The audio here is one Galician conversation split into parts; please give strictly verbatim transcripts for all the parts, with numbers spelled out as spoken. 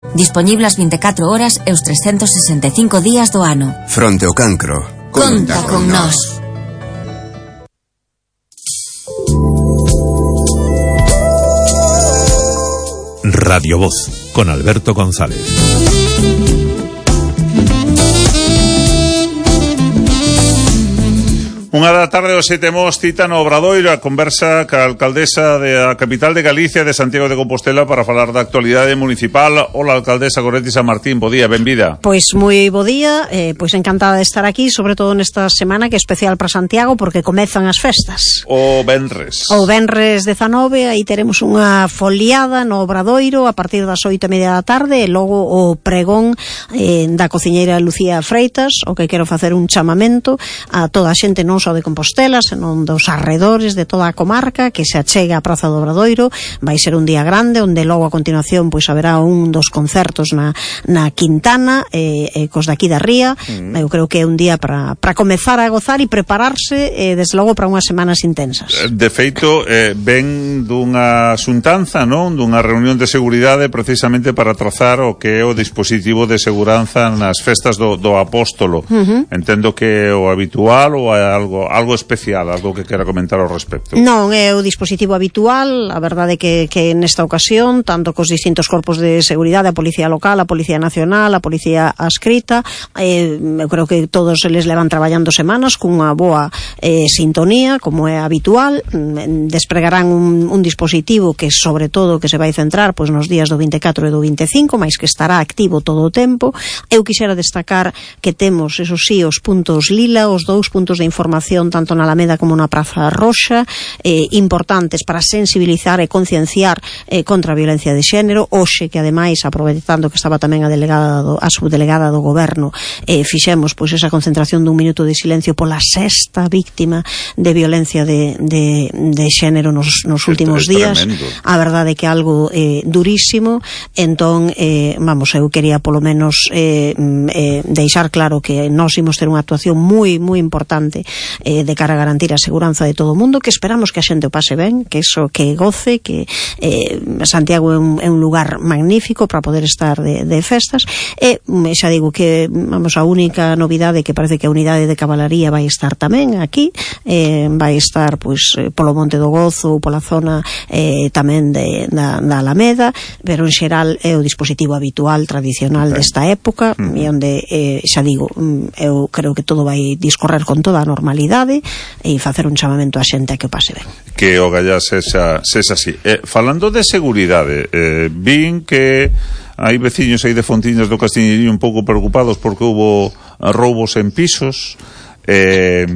Dispoñible as vinte e catro horas e os trescentos sesenta e cinco días do ano. Fronte ao cancro, conta con nós. Radio Voz, con Alberto González. Unha da tarde hoxe temos cita no Obradoiro a conversa ca alcaldesa da capital de Galicia, de Santiago de Compostela, para falar da actualidade municipal. Hola, alcaldesa Goretti San Martín, bo día, benvida. Pois moi bo día, eh, pois encantada de estar aquí, sobre todo nesta semana que é especial para Santiago porque comezan as festas. O venres. O venres dezanove, aí teremos unha foliada no Obradoiro a partir das oito e media da tarde e logo o pregón eh, da cociñeira Lucía Freitas, o que quero facer un chamamento a toda a xente non só de Compostela, senón dos arredores de toda a comarca que se achega á Praza do Obradoiro. Vai ser un día grande onde logo a continuación pois haberá un dos concertos na, na Quintana e eh, eh, cos daqui da Ría. Mm. Eu creo que é un día para para comezar a gozar e prepararse eh, desde logo para unhas semanas intensas. De feito, eh, ven dunha xuntanza, non? Dunha reunión de seguridade precisamente para trazar o que é o dispositivo de seguranza nas festas do, do Apóstolo. Uh-huh. Entendo que é o habitual ou é algo algo especial, algo que quera comentar ao respecto. Non, é o dispositivo habitual. A verdade que, que nesta ocasión, tanto cos distintos corpos de seguridade, a Policía Local, a Policía Nacional, a Policía Adscrita, eh, eu creo que todos eles levan traballando semanas cunha boa eh, sintonía, como é habitual. Despregarán un, un dispositivo que, sobre todo, que se vai centrar pois nos días do vinte e catro e do vinte e cinco, mais que estará activo todo o tempo. Eu quixera destacar que temos, eso sí, os puntos lila, os dous puntos de información tanto na Alameda como na Praza Roxa, eh, importantes para sensibilizar e concienciar eh, contra a violencia de xénero. Hoxe, que ademais, aproveitando que estaba tamén a delegada do, a subdelegada do goberno, eh, fixemos pois esa concentración dun minuto de silencio pola sexta víctima de violencia de, de, de xénero nos, nos últimos días. Tremendo. A verdade é que algo eh, durísimo. Entón, eh, vamos, eu quería polo menos eh, eh, deixar claro que nós imos ter unha actuación moi, moi importante Eh, de cara a garantir a seguranza de todo o mundo, que esperamos que a xente o pase ben, que eso, que goce, que eh, Santiago é un, é un lugar magnífico para poder estar de, de festas. E xa digo que, vamos, a única novidade que parece que a unidade de cabalaría vai estar tamén aquí, eh, vai estar pois polo Monte do Gozo ou pola zona eh, tamén de, da, da Alameda, pero en xeral é o dispositivo habitual, tradicional desta época, mm. e onde, eh, xa digo, eu creo que todo vai discorrer con toda a normalidade e facer un chamamento á xente a que o pase ben. Que o gallá sexa, sexa así. Eh, falando de seguridade, eh, vin que hai veciños aí de Fontiñas do Castiñerío un pouco preocupados porque houbo roubos en pisos. Eh,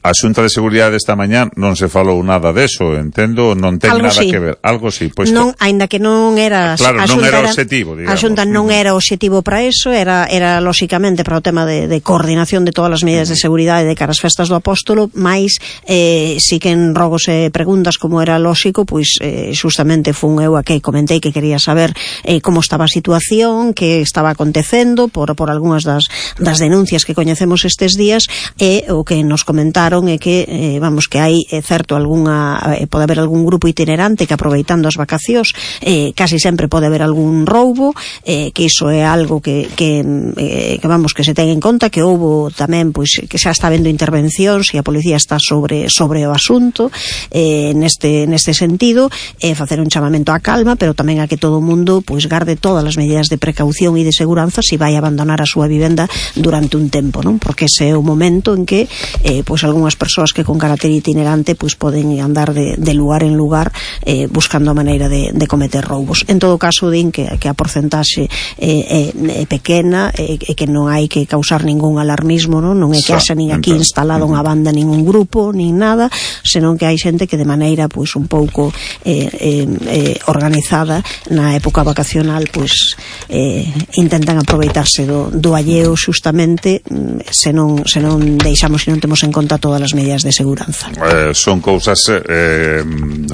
a Xunta de Seguridade esta mañá non se falou nada deso, entendo, non ten algo nada sí. que ver. Algo sí, pois non, aínda que non era claro, a non Xunta era era, obxectivo, digamos. A Xunta non era obxectivo para eso, era era lóxicamente para o tema de, de coordinación de todas as medidas de seguridade de cara ás festas do Apóstolo, mais eh, si que en rogos e preguntas, como era lóxico, pois eh, justamente fun eu a que comentei que quería saber eh, como estaba a situación, que estaba acontecendo por, por algunhas das, das denuncias que coñecemos estes días, e o que nos comentaron é que eh, vamos, que hai eh, certo algunha, eh, pode haber algún grupo itinerante que aproveitando as vacacións eh, casi sempre pode haber algún roubo, eh, que iso é algo que, que, eh, que vamos, que se ten en conta, que houbo tamén, pois, que xa está habendo intervencións e a policía está sobre sobre o asunto eh, neste, neste sentido, eh, facer un chamamento á calma, pero tamén a que todo o mundo pois garde todas as medidas de precaución e de seguranza se vai abandonar a súa vivenda durante un tempo, non? Porque ese é o momento en que eh, pois algunhas persoas que con carácter itinerante pois poden andar de, de lugar en lugar eh, buscando a maneira de, de cometer roubos. En todo caso, din que, que a porcentaxe é, é, é pequena e eh, que non hai que causar ningún alarmismo, non, non é que haxa nin aquí instalado unha banda, ningún grupo, nin nada, senón que hai xente que de maneira pois un pouco eh, eh, eh, organizada na época vacacional pois eh, intentan aproveitarse do, do alleo xustamente se non, se non deixamos, se non temos en conta todo todas as medidas de seguranza. Eh, son cousas eh,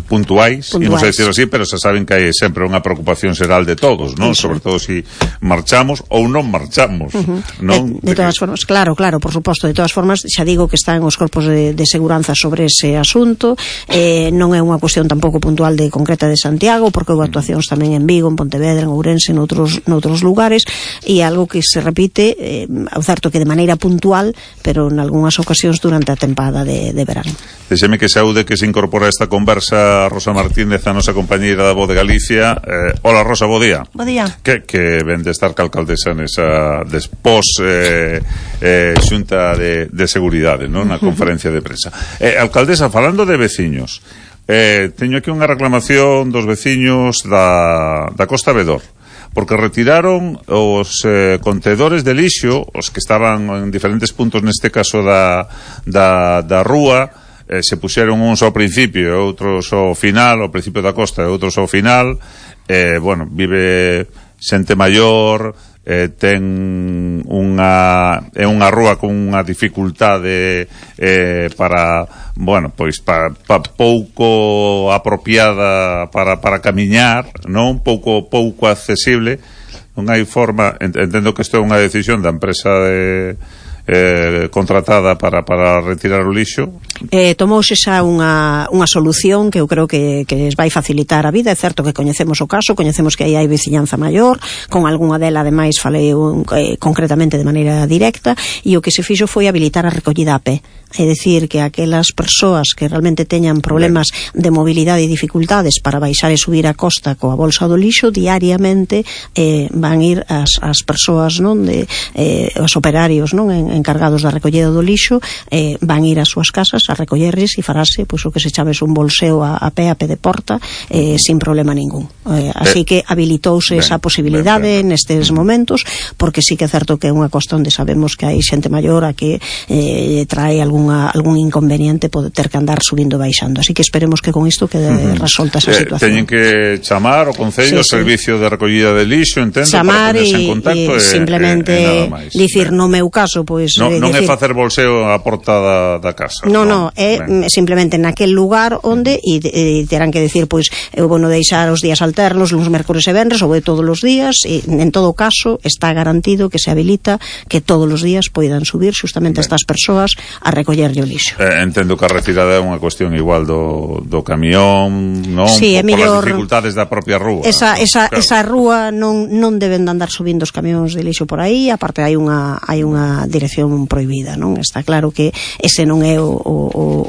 puntuais, imos a decir así, pero se saben que hai sempre unha preocupación xeral de todos, non? Sobre todo se si marchamos ou non marchamos, uh-huh. non? De, de todas formas, claro, claro, por suposto, de todas formas, xa digo que están os corpos de, de seguranza sobre ese asunto, eh, non é unha cuestión tampouco puntual de concreta de Santiago, porque houve actuacións tamén en Vigo, en Pontevedra, en Ourense, noutros, noutros lugares, e algo que se repite, eh, ao certo que de maneira puntual, pero en algunhas ocasións durante a tempada de, de verano. Deixeme que saúde que se incorpora a esta conversa Rosa Martínez, a nosa compañeira da Voz de Galicia. Eh, hola Rosa, bo día. Bo día. Que, que ven de estar calcaldesa nesa despós eh, eh, xunta de, de seguridade, non? Na conferencia de prensa. Eh, alcaldesa, falando de veciños, eh, teño aquí unha reclamación dos veciños da, da Costa Vedor, porque retiraron os eh, contedores de lixo, os que estaban en diferentes puntos, neste caso da, da, da rúa. Eh, se puxeron uns ao principio e outros ao final, ao principio da costa e outros ao final. Eh, bueno, vive xente maior, eh, ten unha é unha rúa con unha dificultade eh, para, bueno, pois para, para pouco apropiada para, para camiñar, non? Pouco pouco accesible. Non hai forma, entendo que isto é unha decisión da empresa de Eh, contratada para, para retirar o lixo. Eh, tomouse xa unha, unha solución que eu creo que, que vai facilitar a vida. É certo que coñecemos o caso, coñecemos que aí hai veciñanza maior, con algunha dela ademais falei un, eh, concretamente de maneira directa, e o que se fixo foi habilitar a recollida a pé. É dicir, que aquelas persoas que realmente teñan problemas de mobilidade e dificultades para baixar e subir a costa coa bolsa do lixo, diariamente eh, van ir as, as persoas, non, de, eh, os operarios, non, en, encargados da recollida do lixo, eh, van ir ás súas casas a recollerles e farase pois, o que se chames un bolseo a, a pé, a pé de porta, eh, sin problema ningún. Eh, así que habilitouse ben, esa posibilidade ben, ben. nestes momentos, porque sí que é certo que é unha costa onde sabemos que hai xente maior a que eh, trae algunha, algún inconveniente pode ter que andar subindo e baixando. Así que esperemos que con isto quede uh-huh. resolta esa situación. Eh, teñen que chamar o Concello, sí, o Servicio sí. de Recollida de Lixo, entendo, chamar para ponerse en contacto e, e, e simplemente e, e nada máis. Dicir, no meu caso, pois no, non decir, é facer bolseo á porta da, da casa. No, no, é ben. simplemente naquel lugar onde e, e terán que decir, pois, eu vou non deixar os días alternos, luns, mércores e venres, ou de todos os días, e en todo caso está garantido que se habilita que todos os días poidan subir justamente estas persoas a recollerlle o lixo. Eh, entendo que a retirada é unha cuestión igual do, do camión, non? Sí, é mellor, por as dificultades da propia rúa. Esa, esa, claro. esa rúa non, non deben de andar subindo os camións de lixo por aí, aparte hai unha, hai unha dirección prohibida, non? Está claro que ese non é o, o,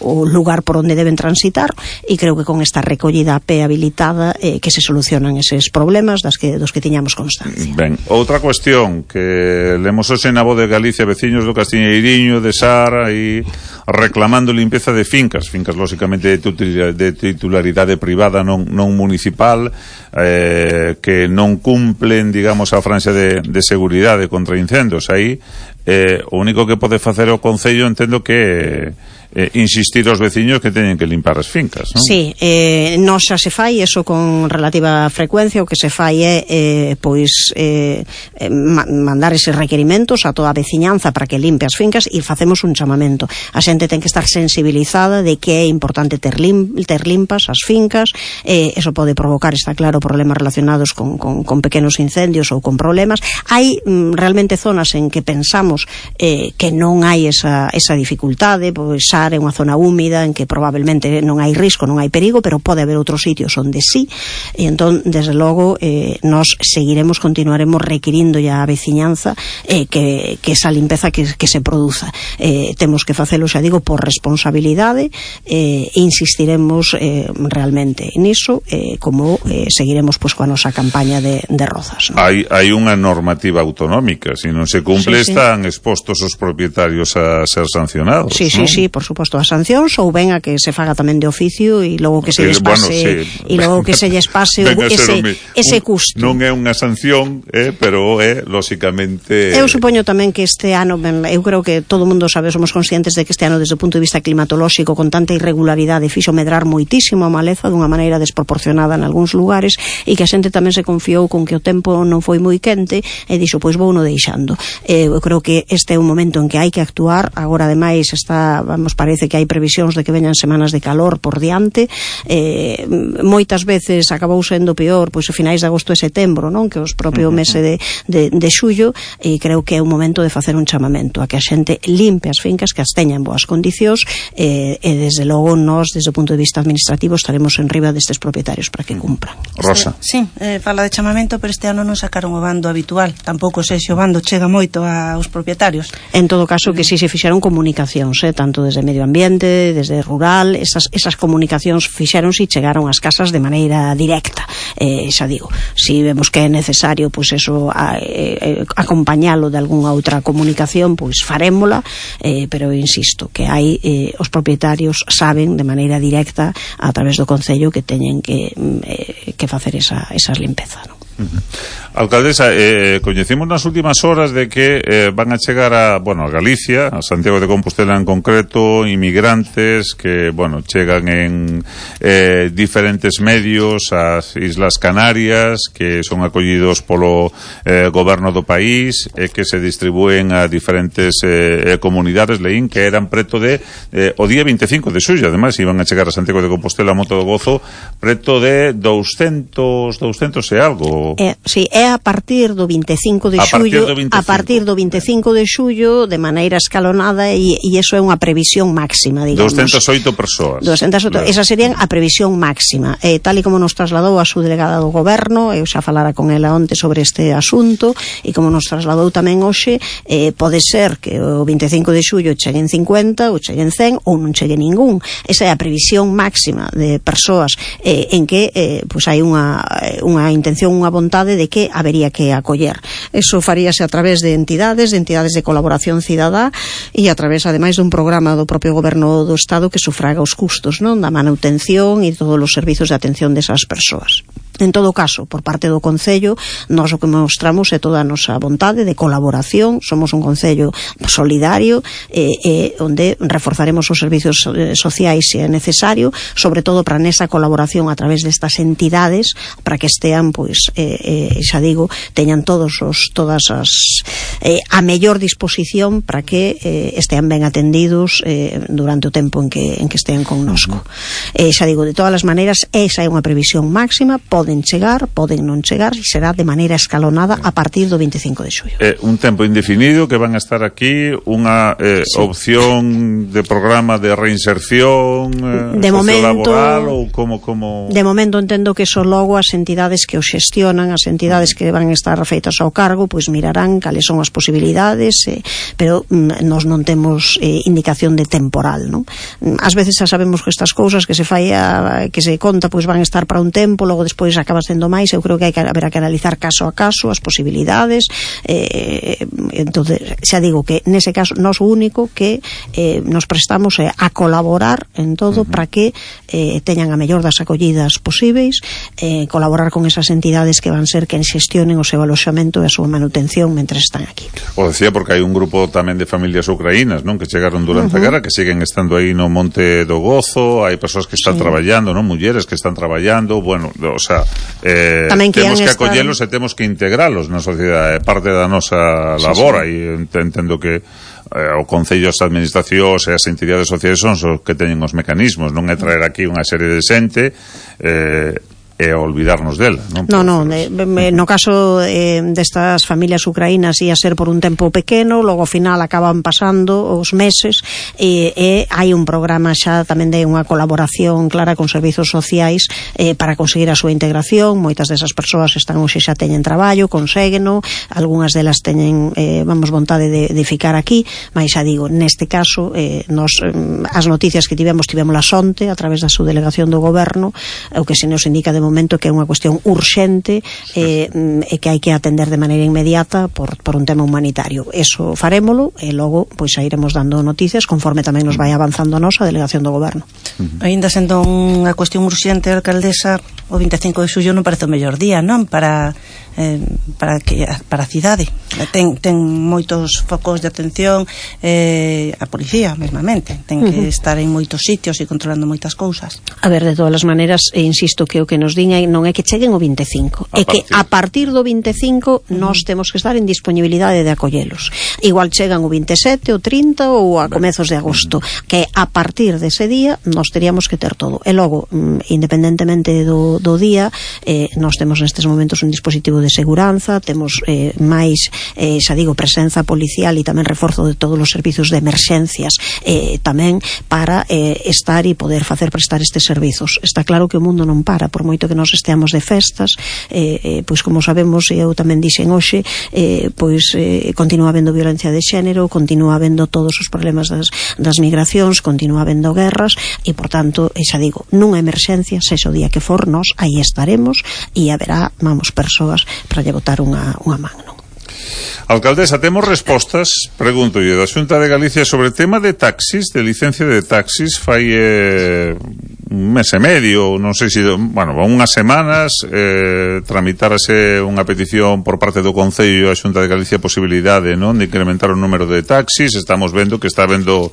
o lugar por onde deben transitar, e creo que con esta recollida a pé habilitada eh, que se solucionan eses problemas das que, dos que tiñamos constancia. Ben, outra cuestión que lemos hoxe na Voz de Galicia, veciños do Castiñeiriño, de Sara, e reclamando limpeza de fincas, fincas lógicamente de titularidade privada, non, non municipal, eh, que non cumplen, digamos, a franxa de, de seguridade contra incendios. Aí eh, o único que pode facer o Concello, entendo que eh, insistir aos veciños que teñen que limpar as fincas, non? Sí, eh, non xa se fai eso con relativa frecuencia. O que se fai é eh, pois eh, eh, mandar eses requerimentos a toda a veciñanza para que limpe as fincas, e facemos un chamamento. A xente ten que estar sensibilizada de que é importante ter, lim, ter limpas as fincas. Eh, eso pode provocar, está claro, problemas relacionados con, con, con pequenos incendios ou con problemas. Hai mm, realmente zonas en que pensamos eh, que non hai esa, esa dificultade, pois é unha zona húmida en que probablemente non hai risco, non hai perigo, pero pode haber outros sitios onde sí, e entón, desde logo, eh, nos seguiremos, continuaremos requirindo ya a veciñanza eh, que, que esa limpeza que, que se produza. Eh, temos que facelo, xa digo, por responsabilidade, eh, e insistiremos eh, realmente niso, eh, como eh, seguiremos pues, coa nosa campaña de, de Rozas, ¿no? Hai, hai unha normativa autonómica, se non se cumple, sí, sí. están expostos os propietarios a ser sancionados. Sí, ¿no? sí, sí, por suposto, as sancións, ou ben a que se faga tamén de oficio, e logo que se lles pase, bueno, sí. e logo que se lles pase o, ese, ese custo. Non é unha sanción, eh, pero é, lóxicamente... Eu supoño tamén que este ano, ben, eu creo que todo o mundo sabe, somos conscientes de que este ano, desde o punto de vista climatolóxico, con tanta irregularidade, fixo medrar moitísimo a maleza dunha maneira desproporcionada en algúns lugares, e que a xente tamén se confiou con que o tempo non foi moi quente, e dixo, pois vou no deixando. Eh, eu creo que este é un momento en que hai que actuar. Agora, ademais, está, vamos parece que hai previsións de que veñan semanas de calor por diante, eh, moitas veces acabou sendo peor pois a finais de agosto e setembro, non? Que os propio mese de, de, de xullo, e creo que é un momento de facer un chamamento a que a xente limpe as fincas, que as teña en boas condicións, eh, e desde logo nós, desde o punto de vista administrativo, estaremos en riba destes propietarios para que cumpran. Rosa. Sí, eh, fala de chamamento, pero este ano non sacaron o bando habitual, tampouco sei se o bando chega moito aos propietarios. En todo caso, que si se fixeron comunicacións, eh, tanto desde medio ambiente, desde rural, esas, esas comunicacións fixeronse e chegaron ás casas de maneira directa. Eh, xa digo, si vemos que é necesario, pois eso, a, eh, acompañalo de algunha outra comunicación, pois farémola, eh, pero insisto, que hai, eh, os propietarios saben de maneira directa a través do Concello que teñen que, eh, que facer esa, esas limpezas, non? Uh-huh. Alcaldesa, eh, coñecemos nas últimas horas de que eh, van a chegar a, bueno, a Galicia, a Santiago de Compostela en concreto, inmigrantes que, bueno, chegan en eh, diferentes medios ás Islas Canarias, que son acollidos polo eh, goberno do país, e eh, que se distribúen a diferentes eh, comunidades, leín que eran preto de eh, o día veinticinco de xullo, ademais iban a chegar a Santiago de Compostela a Moto do Gozo preto de doscientos e algo. É, sí, é a partir do veinticinco de xullo, a partir do veinticinco de xullo, de maneira escalonada, e, e iso é unha previsión máxima, digamos. doscientas e oito persoas. doscientas e oito, claro. Esa serían a previsión máxima. Eh, tal e como nos trasladou a su delegada do goberno, eu xa falara con ela onte sobre este asunto, e como nos trasladou tamén hoxe, eh, pode ser que o veinticinco de xullo cheguen cincuenta, ou cheguen cen, ou non chegue ningún. Esa é a previsión máxima de persoas eh, en que eh, pues hai unha, unha intención, unha vontade de que habería que acoller. Eso faríase a través de entidades, de entidades de colaboración cidadá, e a través, ademais, dun programa do propio goberno do Estado que sufraga os custos, non, da manutención e todos os servizos de atención desas persoas. En todo caso, por parte do Concello, nós o que mostramos é toda a nosa vontade de colaboración. Somos un Concello solidario, eh, eh, onde reforzaremos os servizos eh, sociais se é necesario, sobre todo para nesa colaboración a través destas entidades, para que estean, pois, eh, eh, xa digo, teñan todos os, todas as eh, a mellor disposición para que eh, estean ben atendidos eh, durante o tempo en que, en que estean connosco. Uh-huh. Eh, xa digo, de todas as maneiras, esa é unha previsión máxima, pode poden chegar, poden non chegar, e será de maneira escalonada a partir do veinticinco de xullo. Eh, un tempo indefinido que van a estar aquí, unha eh, sí. opción de programa de reinserción eh, de momento, laboral, ou como, como... De momento entendo que eso logo as entidades que o xestionan, as entidades que van estar feitas ao cargo, pois mirarán cales son as posibilidades, eh, pero mm, nós non temos eh, indicación de temporal, non? Ás veces xa sabemos que estas cousas que se fai a, que se conta, pois van a estar para un tempo, logo despois acaba sendo máis. Eu creo que hai que haber que analizar caso a caso as posibilidades, eh, entonces xa digo que nese caso nós o único que eh, nos prestamos é a colaborar en todo uh-huh. para que eh, teñan a mellor das acollidas posíveis, eh, colaborar con esas entidades que van ser quen xestionen o seu aloxamento e a súa manutención mentre están aquí. O decía porque hai un grupo tamén de familias ucraínas, non, que chegaron durante uh-huh. a guerra, que siguen estando aí no Monte do Gozo, hai persoas que están sí. traballando, non, mulleres que están traballando, bueno, o sea, eh, temos que estar... acollelos e temos que integralos na sociedade, é parte da nosa labor, sí, sí. e entendo que eh, o Concello, as administracións e as entidades sociais son os que teñen os mecanismos, non é traer aquí unha serie de xente eh, e olvidarnos dela, non? No, no, de, no caso eh, destas familias ucraínas ia ser por un tempo pequeno, logo ao final acaban pasando os meses e, e hai un programa xa tamén de unha colaboración clara con servizos sociais eh, para conseguir a súa integración. Moitas desas persoas están hoxe xa teñen traballo, consegueno, algunhas delas teñen eh, vamos, vontade de, de ficar aquí, mas xa digo, neste caso eh, nos, as noticias que tivemos tivemos la sonte a través da subdelegación do goberno, o que se nos indica de momento que é unha cuestión urxente eh, e que hai que atender de maneira inmediata por, por un tema humanitario. Eso farémolo e logo pois a iremos dando noticias conforme tamén nos vai avanzando a nosa delegación do goberno. Uh-huh. Ainda sendo unha cuestión urxente, alcaldesa, o veinticinco de xullo non parece o mellor día, non? Para eh, para que para a cidade. Ten, ten moitos focos de atención, eh, a policía mesmamente ten que uh-huh. estar en moitos sitios e controlando moitas cousas. A ver, de todas as maneiras, e insisto que o que nos din non é que cheguen o vinte e cinco, é que a partir do vinte e cinco uh-huh. nós temos que estar en disponibilidade de acollelos. Igual chegan o vinte e sete, o trinta ou a comezos de agosto, que a partir dese día nós teríamos que ter todo. E logo, independentemente do, do día, eh, nós temos nestes momentos un dispositivo de seguranza, temos eh, máis, eh, xa digo, presenza policial e tamén reforzo de todos os servizos de emerxencias, eh, tamén para eh, estar e poder facer prestar estes servizos. Está claro que o mundo non para, por moito que nós esteamos de festas, eh, eh, pois como sabemos, e eu tamén dixen hoxe, eh, pois eh, continúa habendo violencia de xénero, continúa habendo todos os problemas das, das migracións, continúa habendo guerras, e por tanto, xa digo, nunha emerxencia, sexa o día que for, nós aí estaremos e haberá, vamos, persoas para lle botar unha, unha man, non? Alcaldesa, temos respostas, pregunto yo, da Xunta de Galicia sobre tema de taxis, de licencia de taxis, fai eh, un mes e medio, non sei se, bueno, unhas semanas, eh, tramitárase unha petición por parte do Concello a Xunta de Galicia a posibilidade, non, de incrementar o número de taxis. Estamos vendo que está vendo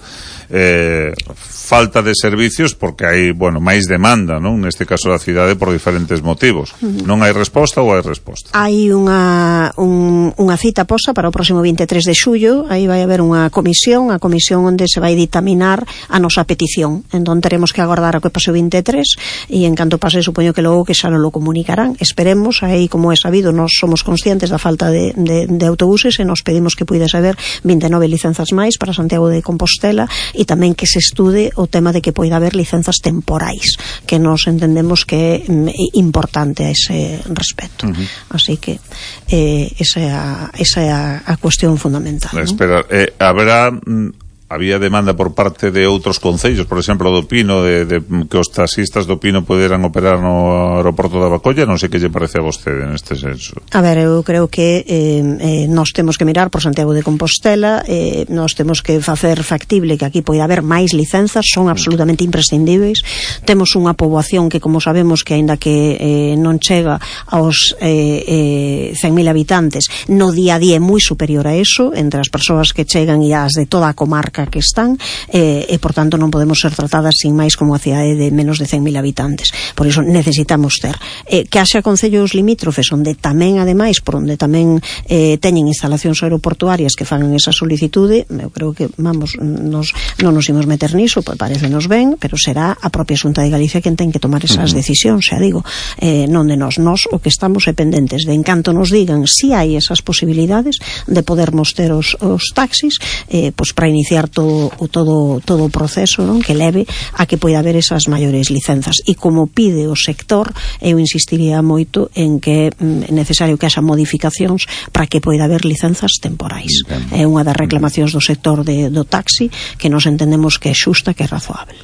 eh, falta de servicios porque hai, bueno, máis demanda, non, neste caso da cidade por diferentes motivos. Uh-huh. Non hai resposta ou hai resposta? Hai unha, un, unha cita posta para o próximo vinte e tres de xullo, aí vai haber unha comisión, a comisión onde se vai ditaminar a nosa petición. Entón teremos que agardar a que pase o vinte e tres e en canto pase, supoño que logo que xa non lo comunicarán. Esperemos, aí como é sabido, nós somos conscientes da falta de, de, de autobuses e nos pedimos que puides haber vinte e nove licenzas máis para Santiago de Compostela e tamén que se estude o tema de que poida haber licenzas temporais, que nos entendemos que é importante a ese respecto. Uh-huh. Así que eh, esa é a, esa é a, a cuestión fundamental. Espera, ¿no? eh, haberá... había demanda por parte de outros concellos, por exemplo, do Pino, de, de que os taxistas do Pino poderan operar no aeroporto da Bacolla. Non sei que lle parece a vostede neste senso. A ver, eu creo que eh, eh, nós temos que mirar por Santiago de Compostela, eh, nós temos que facer factible que aquí poida haber máis licenzas, son absolutamente imprescindíveis. Temos unha poboación que, como sabemos, que aínda que eh, non chega aos eh, eh, cen mil habitantes, no día a día é moi superior a eso, entre as persoas que chegan e as de toda a comarca que están, eh, e por tanto non podemos ser tratadas sin máis como a cidade de menos de cen mil habitantes. Por iso necesitamos ter eh, que haxa concellos limítrofes onde tamén, ademais, por onde tamén eh, teñen instalacións aeroportuarias que fagan esa solicitude. Eu creo que, vamos, nos, non nos imos meter niso, pues parecenos ben, pero será a propia Xunta de Galicia quen ten que tomar esas decisións, xa digo, eh, non de nós. Nós o que estamos é pendentes de, en canto nos digan si hai esas posibilidades de podermos ter os, os taxis, eh, pues para iniciar todo o todo todo o proceso, non, que leve a que poida haber esas maiores licenzas. E como pide o sector, eu insistiría moito en que é necesario que haxa modificacións para que poida haber licenzas temporais. É unha das reclamacións do sector de, do taxi que nos entendemos que é xusta, que é razoável.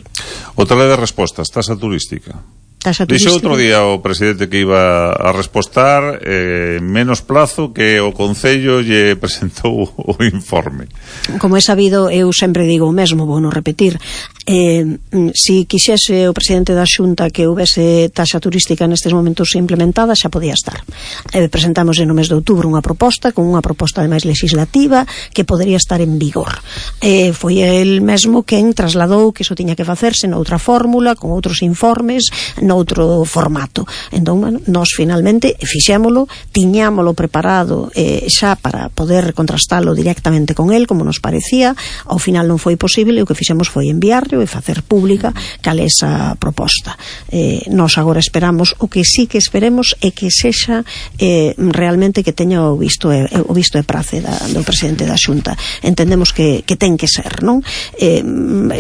Outra de respostas, tasa turística. Dixe outro día o presidente que iba a respostar eh, menos plazo que o Concello lle presentou o informe. Como é sabido, eu sempre digo o mesmo, vou non repetir. Eh, si quixese o presidente da Xunta que houvese taxa turística nestes momentos implementada, xa podía estar. Eh, presentamos no mes de outubro unha proposta, con unha proposta ademais legislativa que podería estar en vigor. Eh, foi el mesmo quen trasladou que iso tiña que facerse noutra fórmula, con outros informes, noutro formato. Entón, bueno, nós finalmente fixémolo, tiñámolo preparado eh, xa para poder contrastalo directamente con el, como nos parecía. Ao final non foi posible, e o que fixemos foi enviar e facer pública cal é esa proposta. Eh, nós agora esperamos, o que sí que esperemos é que sexa eh, realmente que teña o visto e, o visto e prace da, do presidente da Xunta. Entendemos que, que ten que ser, non? Eh,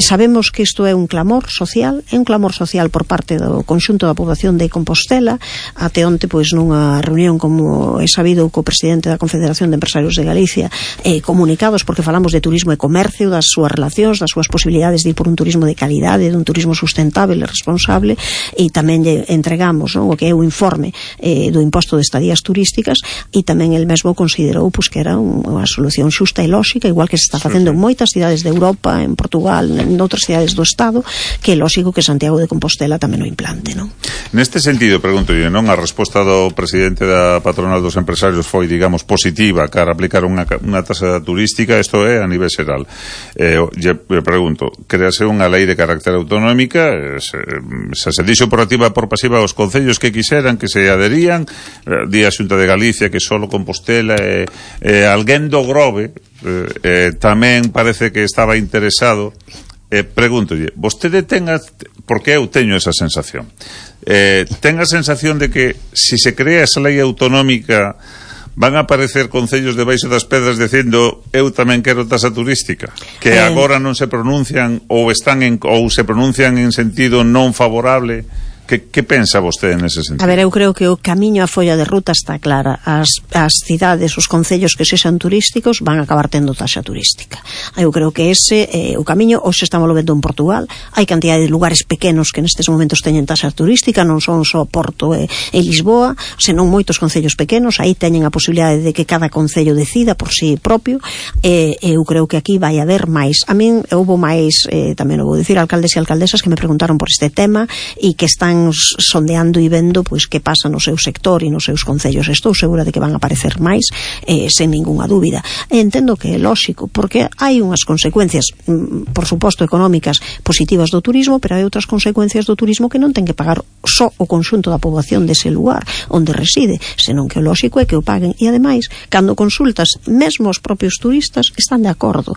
sabemos que isto é un clamor social, é un clamor social por parte do conxunto da poboación de Compostela. Até onte, pois, nunha reunión, como é sabido, co presidente da Confederación de Empresarios de Galicia, eh, comunicados, porque falamos de turismo e comercio, das súas relacións, das súas posibilidades de ir por un turismo de calidade, dun turismo sustentable e responsable, e tamén lle entregamos, non, o que é o informe eh, do imposto de estadías turísticas, e tamén el mesmo considerou pues, que era unha solución xusta e lóxica, igual que se está facendo en moitas cidades de Europa, en Portugal, en outras cidades do Estado, que é lóxico que Santiago de Compostela tamén o implante. realidade, non? Neste sentido, pregunto eu, non? A resposta do presidente da patronal dos empresarios foi, digamos, positiva cara a aplicar unha, unha tasa turística, isto é a nivel xeral. Eh, lle pregunto, créase unha lei de carácter autonómica, se, se se dixo por activa e por pasiva aos concellos que quixeran que se aderían, eh, di a Xunta de Galicia que solo Compostela e eh, eh, alguén do Grove eh, eh, tamén parece que estaba interesado. Eh, pregúntolle, vostede ten a, porque eu teño esa sensación, eh, ten a sensación de que si se crea esa lei autonómica van a aparecer concellos debaixo das pedras dicindo eu tamén quero tasa turística, que eh... agora non se pronuncian ou están en, ou se pronuncian en sentido non favorable. Que, que pensa vostede nese sentido? A ver, eu creo que o camiño, a folla de ruta está clara. As, as cidades, os concellos que sexan turísticos van a acabar tendo taxa turística. Eu creo que ese é eh, o camiño. Hoxe estamos vendo en Portugal. Hai cantidad de lugares pequenos que nestes momentos teñen taxa turística, non son só Porto e, e Lisboa, senón moitos concellos pequenos. Aí teñen a posibilidade de que cada concello decida por si propio. E eh, eu creo que aquí vai haber máis. A min houbo máis, eh, tamén o vou dicir, alcaldes e alcaldesas que me preguntaron por este tema e que están sondeando e vendo pois que pasa no seu sector e nos seus concellos. Estou segura de que van a aparecer máis, eh, sen ninguna dúbida. E entendo que é lóxico, porque hai unhas consecuencias, por suposto, económicas positivas do turismo, pero hai outras consecuencias do turismo que non ten que pagar só o conxunto da poboación dese lugar onde reside, senón que o lóxico é que o paguen. E ademais, cando consultas, mesmo os propios turistas están de acordo.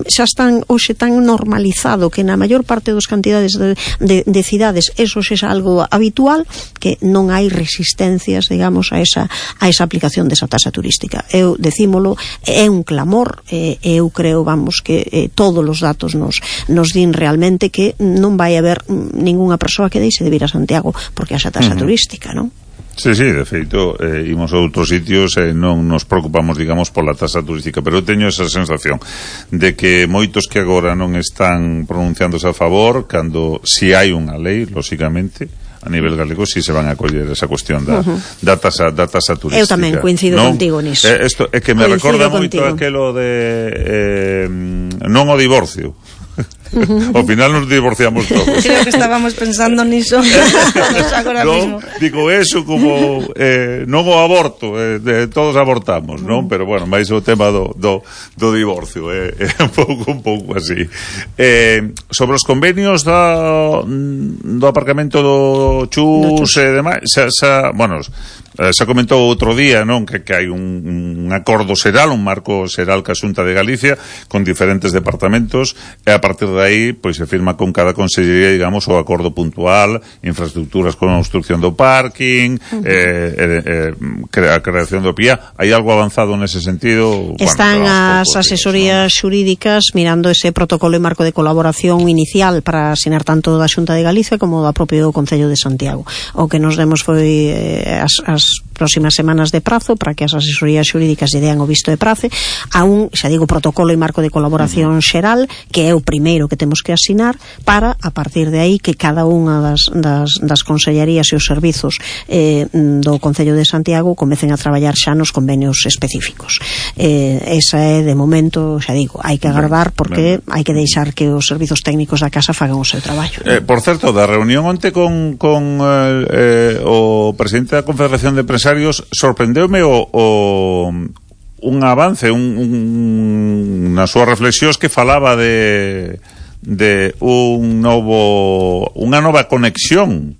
Xa están hoxe tan normalizado que na maior parte das cantidades de, de, de cidades eso xa é algo habitual, que non hai resistencias, digamos, a esa, a esa aplicación desa tasa turística. Eu decímolo, é un clamor, e eu creo, vamos, que eh, todos os datos nos, nos din realmente que non vai haber ningunha persoa que deixe de vir a Santiago porque haxa tasa uh-huh. turística, non? Sí, sí, de feito, eh, imos a outros sitios e eh, non nos preocupamos, digamos, pola tasa turística, pero eu teño esa sensación de que moitos que agora non están pronunciándose a favor, cando si hai unha lei, lóxicamente, a nivel galego si se van a coller esa cuestión da, uh-huh. da, tasa, da tasa turística. Eu tamén coincido non? contigo niso. Eh, esto é que me coincido recorda moito contigo. aquelo de eh, non o divorcio. Uh-huh. Ao final nos divorciamos todos. Creo que estábamos pensando niso agora no, mismo. Digo eso como eh, non o aborto, eh, de, todos abortamos, non? Uh-huh. Pero bueno, máis o tema do, do, do divorcio é eh, eh, un pouco un pouco así. Eh, sobre os convenios do, do aparcamento do Chus e demais, xa, xa, bueno, xa comentou outro día, non, que, que hai un, un acordo xeral, un marco xeral ca Xunta de Galicia con diferentes departamentos, e a partir de aí pois se firma con cada consellería, digamos, o acordo puntual, infraestructuras con a construcción do parking, uh-huh. eh, eh, a creación do P I A. Hai algo avanzado nese sentido? Están bueno, as asesorías ¿no? xurídicas mirando ese protocolo e marco de colaboración inicial para asinar tanto da Xunta de Galicia como da propio Concello de Santiago. O que nos demos foi eh, as, as próximas semanas de prazo para que as asesorías xurídicas lle dean o visto de prazo a un, xa digo, protocolo e marco de colaboración uh-huh. xeral, que é o primeiro que temos que asinar para, a partir de aí, que cada unha das, das, das consellerías e os servizos eh, do Concello de Santiago comecen a traballar xa nos convenios específicos. Eh, esa é, de momento, xa digo, hai que agardar porque hai que deixar que os servizos técnicos da casa fagan o seu traballo. Eh, por certo, da reunión onte con, con eh, o presidente da Confederación de Empresarios, sorprendeume o, o un avance, un, un, nas súas reflexións que falaba de de un novo unha nova conexión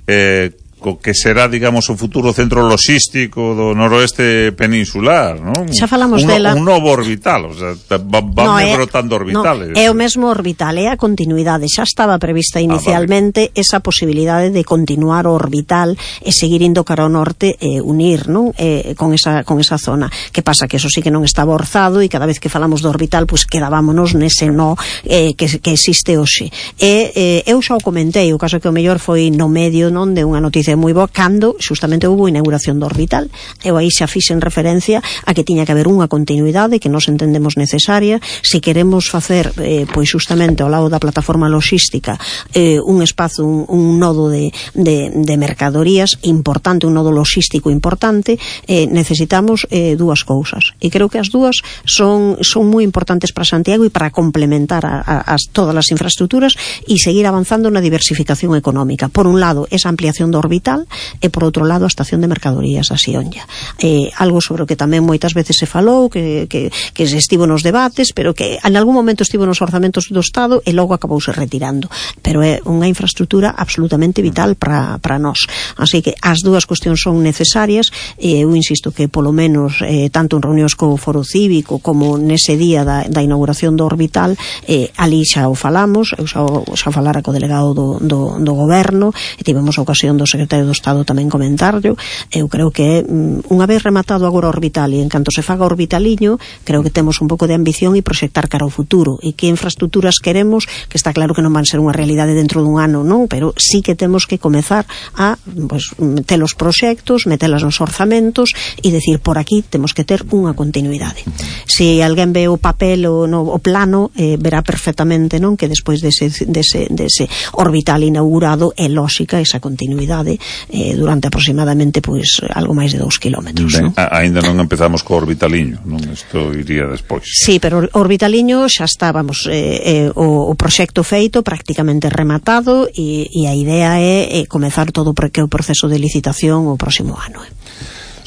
eh, co que será, digamos, o futuro centro logístico do noroeste peninsular, non? Xa falamos un, dela. Un novo orbital, o sea, van no, brotando orbitales. No, é o mesmo orbital, é a continuidade. Xa estaba prevista inicialmente ah, vale. esa posibilidade de continuar o orbital e seguir indo cara ao norte e unir, non? Eh, con esa con esa zona. Que pasa que eso sí que non estaba orzado e cada vez que falamos do orbital, pois pues, quedámonos nese no eh, que, que existe hoxe. E eh, eu xa o comentei, o caso que o mellor foi no medio, non, de unha noticia experiencia moi boa cando xustamente houve a inauguración do Orbital. Eu aí xa fixen referencia a que tiña que haber unha continuidade que nos entendemos necesaria se queremos facer eh, pois xustamente ao lado da plataforma logística eh, un espazo, un, un nodo de, de, de mercadorías importante, un nodo logístico importante, eh, necesitamos eh, dúas cousas, e creo que as dúas son, son moi importantes para Santiago e para complementar a, a, as todas as infraestructuras e seguir avanzando na diversificación económica. Por un lado, esa ampliación do Orbital e por outro lado, a estación de mercadorías a Sionlla. Eh, algo sobre o que tamén moitas veces se falou, que, que, que se estivo nos debates, pero que en algún momento estivo nos orzamentos do Estado e logo acabouse retirando. Pero é unha infraestructura absolutamente vital para, para nós. Así que as dúas cuestións son necesarias e eu insisto que polo menos eh, tanto en reunións co Foro Cívico como nese día da, da inauguración do Orbital, eh, ali xa o falamos, eu xa, xa falara co delegado do, do, do goberno e tivemos a ocasión do secretario do Estado tamén comentarlo. Eu creo que unha vez rematado agora o Orbital e en canto se faga o Orbitaliño, creo que temos un pouco de ambición e proxectar cara ao futuro e que infraestructuras queremos, que está claro que non van ser unha realidade dentro dun ano, non, pero sí que temos que comezar a pues, meter os proxectos, metelas nos orzamentos e decir, por aquí temos que ter unha continuidade. Se alguén ve o papel o, no, o plano, eh, verá perfectamente, non, que despois dese, dese, dese Orbital inaugurado é lóxica esa continuidade eh, durante aproximadamente pois algo máis de dous kilómetros. Ben, non? Ainda non empezamos co Orbitaliño, non? Isto iría despois. Sí, pero o Orbitaliño xa está, vamos, eh, eh, o, o proxecto feito, prácticamente rematado e, e a idea é eh, comezar todo porque o proceso de licitación o próximo ano. Eh.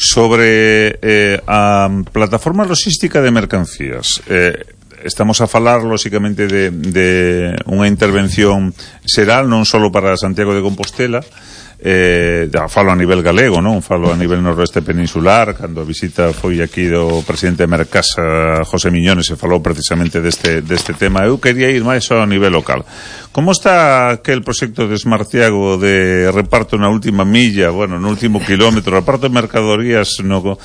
Sobre eh, a plataforma logística de mercancías, eh, estamos a falar, lóxicamente, de, de unha intervención xeral, non só para Santiago de Compostela, eh, falo a nivel galego, non? Falo a nivel noroeste peninsular, cando a visita foi aquí do presidente de Mercasa, José Miñones, se falou precisamente deste, deste tema. Eu quería ir máis ao nivel local. Como está aquel proxecto de Smartiago de reparto na última milla, bueno, no último kilómetro, reparto de mercadorías no...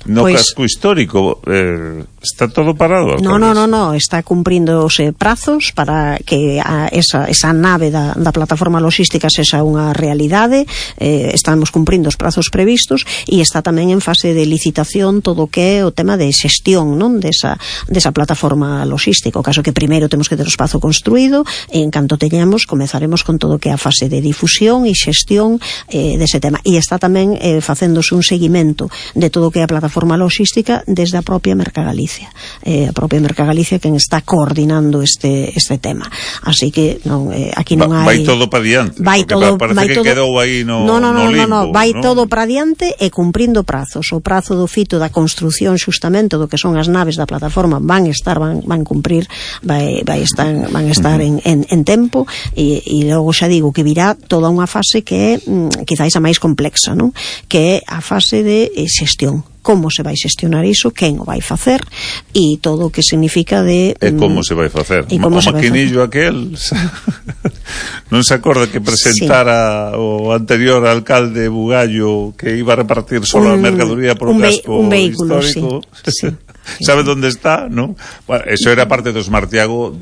No pues, casco histórico, eh, está todo parado. No, no, no, no, está cumpríndose prazos para que a esa, esa nave da, da plataforma logística sexa unha realidade, eh, estamos cumprindo os prazos previstos e está tamén en fase de licitación todo o que é o tema de xestión, non, desa, desa plataforma logística. O caso que primeiro temos que ter o espazo construído e en canto teñamos comezaremos con todo o que é a fase de difusión e xestión eh, dese tema. E está tamén eh, facéndose un seguimento de todo o que é a plataforma forma logística desde a propia Mercagalicia. Eh, a propia Mercagalicia quen está coordinando este este tema. Así que non, eh, aquí non Va, hai... Vai todo para diante. Vai todo, parece vai que todo... quedou aí no, no, no, no, no limbo. No, no, vai ¿no? todo para diante e cumprindo prazos. O prazo do fito da construción xustamente do que son as naves da plataforma van estar, van, van cumprir, vai, vai estar, van estar uh-huh. en, en, en tempo e, e logo xa digo que virá toda unha fase que é mm, quizáis a máis complexa, non? Que é a fase de eh, xestión. Como se vai xestionar iso, quen o vai facer e todo o que significa de... E como se vai facer? O maquinillo aquel non se acorda que presentara sí. o anterior alcalde Bugallo que iba a repartir solo un, a mercadoría por un, un casco un vehículo, histórico sí. sí. ¿Sabe dónde está? ¿No? Bueno, eso era parte do Smartiago,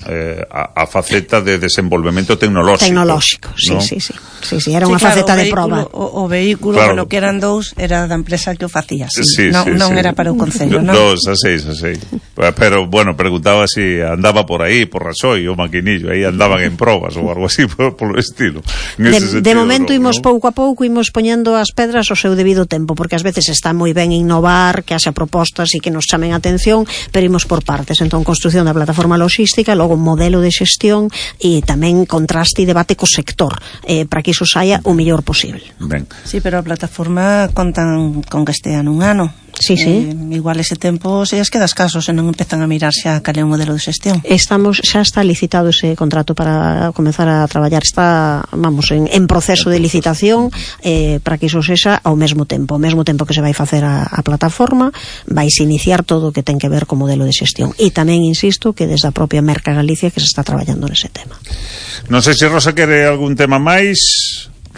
eh, a, a faceta de desenvolvemento tecnolóxico. Tecnolóxico, sí, ¿no? sí, sí, sí, sí. Era sí, unha claro, faceta de vehículo, proba. O, o vehículo, claro. Bueno, que eran dous, era da empresa que o facía, sí. sí, non sí, non sí. era para o Concello, non? Dos, a seis, a seis. Pero, bueno, preguntaba si andaba por aí, por Rasoy, o maquinillo, aí andaban en probas ou algo así, por, por o estilo. De, sentido, de momento, no, imos ¿no? pouco a pouco, imos poñendo as pedras ao seu debido tempo, porque ás veces está moi ben innovar, que haxa propostas e que nos chamen a atención, pero imos por partes. Entón, construción da plataforma logística, logo modelo de xestión e tamén contraste e debate co sector eh, para que iso saia o mellor posible. Ben. Sí, pero a plataforma contan con que estea nun ano. Sí, sí. Eh, igual ese tempo se as queda escaso se non empezan a mirar xa cal é o modelo de xestión. Estamos, xa está licitado ese contrato para comenzar a traballar, está, vamos, en, en proceso de licitación eh, para que iso sexa ao mesmo tempo, ao mesmo tempo que se vai facer a, a plataforma, vais iniciar todo o que ten que ver co modelo de xestión. E tamén insisto que desde a propia Merca Galicia que se está traballando nese tema. Non sei se Rosa quere algún tema máis.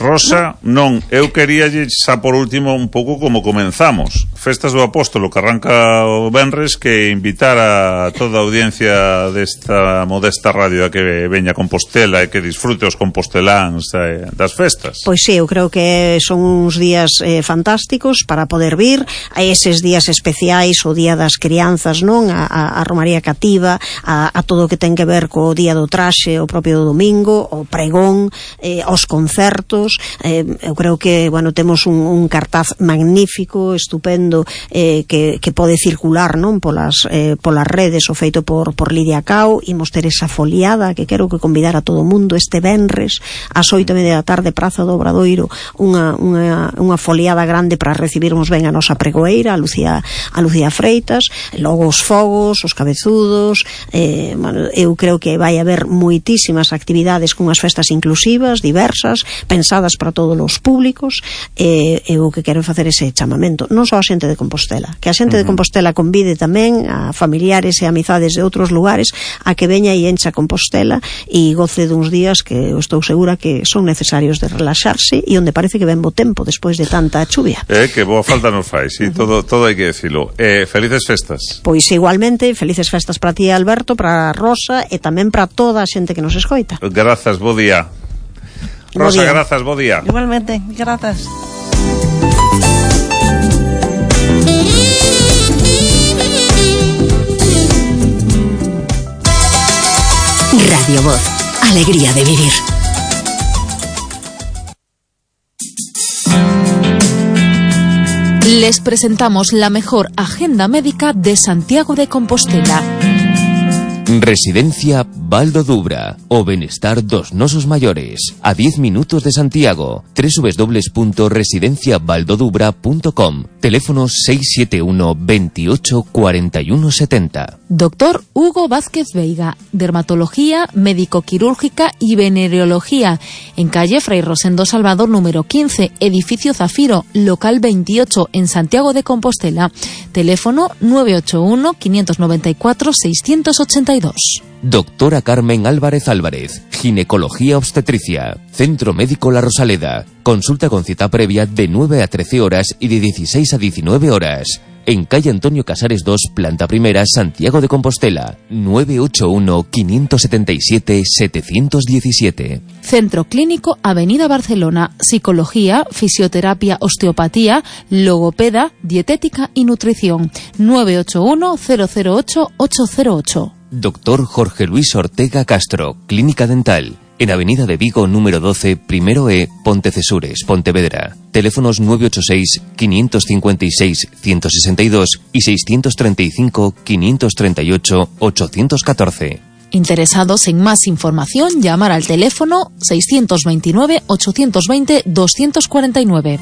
Rosa, non, eu queríalle xa por último un pouco como comenzamos. Festas do Apóstolo que arranca o venres, que invitar a toda a audiencia desta modesta radio a que veña a Compostela e que disfrute os composteláns eh, das festas. Pois sí, eu creo que son uns días eh, fantásticos para poder vir a eses días especiais, o Día das Crianzas, non? A, a, a Romaría Cativa, a, a todo o que ten que ver co Día do Traxe, o propio do domingo, o pregón, eh, os concertos. Eh, eu creo que, bueno, temos un, un cartaz magnífico, estupendo, eh, que, que pode circular, non? Polas, eh, polas redes, o feito por, por Lidia Cao. Imos ter esa foliada que quero que convidar a todo o mundo este venres ás oito e media da tarde, Praza do Obradoiro, unha, unha, unha foliada grande para recibirmos ben a nosa pregoeira, a Lucía, a Lucía Freitas, logo os fogos, os cabezudos. eh, bueno, eu creo que vai haber moitísimas actividades cunhas festas inclusivas, diversas, pensadas para todos os públicos. E eh, eu que quero facer ese chamamento, non só a xente de Compostela, que a xente uh-huh. de Compostela convide tamén a familiares e amizades de outros lugares a que veña e encha Compostela e goce duns días que eu estou segura que son necesarios de relaxarse e onde parece que ven bo tempo despois de tanta chuvia. Eh, que boa falta nos fai, sí, uh-huh. todo, todo hai que decirlo. Eh, felices festas. Pois igualmente, felices festas para ti, Alberto, para Rosa e tamén para toda a xente que nos escoita. Grazas, bo día. Rosa, grazas, bo día. Igualmente, grazas. Radio Voz, alegría de vivir. Les presentamos la mejor agenda médica de Santiago de Compostela. Residencia Baldo Dubra, o benestar dos nosos maiores, a diez minutos de Santiago. doble u doble u doble u punto residencia baldo dubra punto com. Teléfono seis siete uno, veintiocho, cuarenta y uno setenta. Doctor Hugo Vázquez Veiga, dermatología, médico-quirúrgica y venereología, en calle Fray Rosendo Salvador número quince, edificio Zafiro, local veintiocho, en Santiago de Compostela. Teléfono nueve ocho uno, quinientos noventa y cuatro, seiscientos ochenta y dos. Doctora Carmen Álvarez Álvarez, ginecología obstetricia, Centro Médico La Rosaleda. Consulta con cita previa de nueve a trece horas y de dieciséis a diecinueve horas. En calle Antonio Casares dos, planta primera, Santiago de Compostela. nueve ocho uno, quinientos setenta y siete, setecientos diecisiete. Centro Clínico Avenida Barcelona, psicología, fisioterapia, osteopatía, logopeda, dietética y nutrición. nueve ocho uno, cero cero ocho, ocho cero ocho. Doctor Jorge Luis Ortega Castro, Clínica Dental. En Avenida de Vigo, número doce, primero E, Pontecesures, Pontevedra. Teléfonos nueve ocho seis, quinientos cincuenta y seis, ciento sesenta y dos y seiscientos treinta y cinco, quinientos treinta y ocho, ochocientos catorce. Interesados en más información, llamar al teléfono seiscientos veintinueve, ochocientos veinte, doscientos cuarenta y nueve.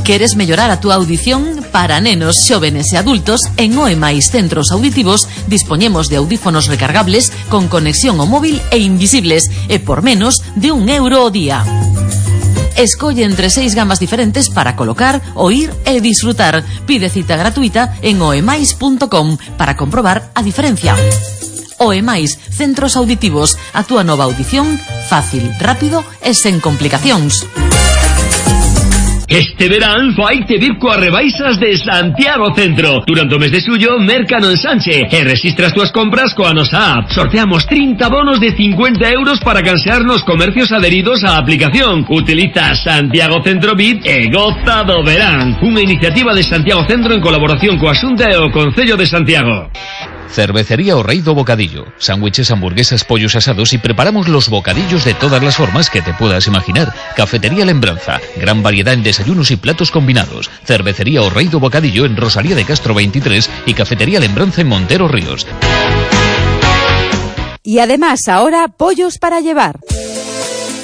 ¿Queres mellorar a túa audición? Para nenos, xóvenes e adultos, en O E máis Centros Auditivos dispoñemos de audífonos recargables con conexión ao móvil e invisibles, e por menos de un euro ao día. Escolle entre seis gamas diferentes para colocar, oír e disfrutar. Pide cita gratuita en oemais punto com para comprobar a diferencia. O E máis Centros Auditivos, a túa nova audición fácil, rápido e sen complicacións. Este verán faite vir coas rebaixas de Santiago Centro. Durante o mes de xullo, merca no ensanche e rexistra as túas compras coa nosa app. Sorteamos trinta bonos de cincuenta euros para cansear nos comercios adheridos á aplicación. Utiliza Santiago Centro V I P e goza do verán. Unha iniciativa de Santiago Centro en colaboración coa Xunta e o Concello de Santiago. Cervecería O Rey do Bocadillo. Sándwiches, hamburguesas, pollos asados y preparamos los bocadillos de todas las formas que te puedas imaginar. Cafetería Lembranza. Gran variedad en desayunos y platos combinados. Cervecería O Rey do Bocadillo en Rosalía de Castro veintitrés y Cafetería Lembranza en Montero Ríos. Y además ahora pollos para llevar.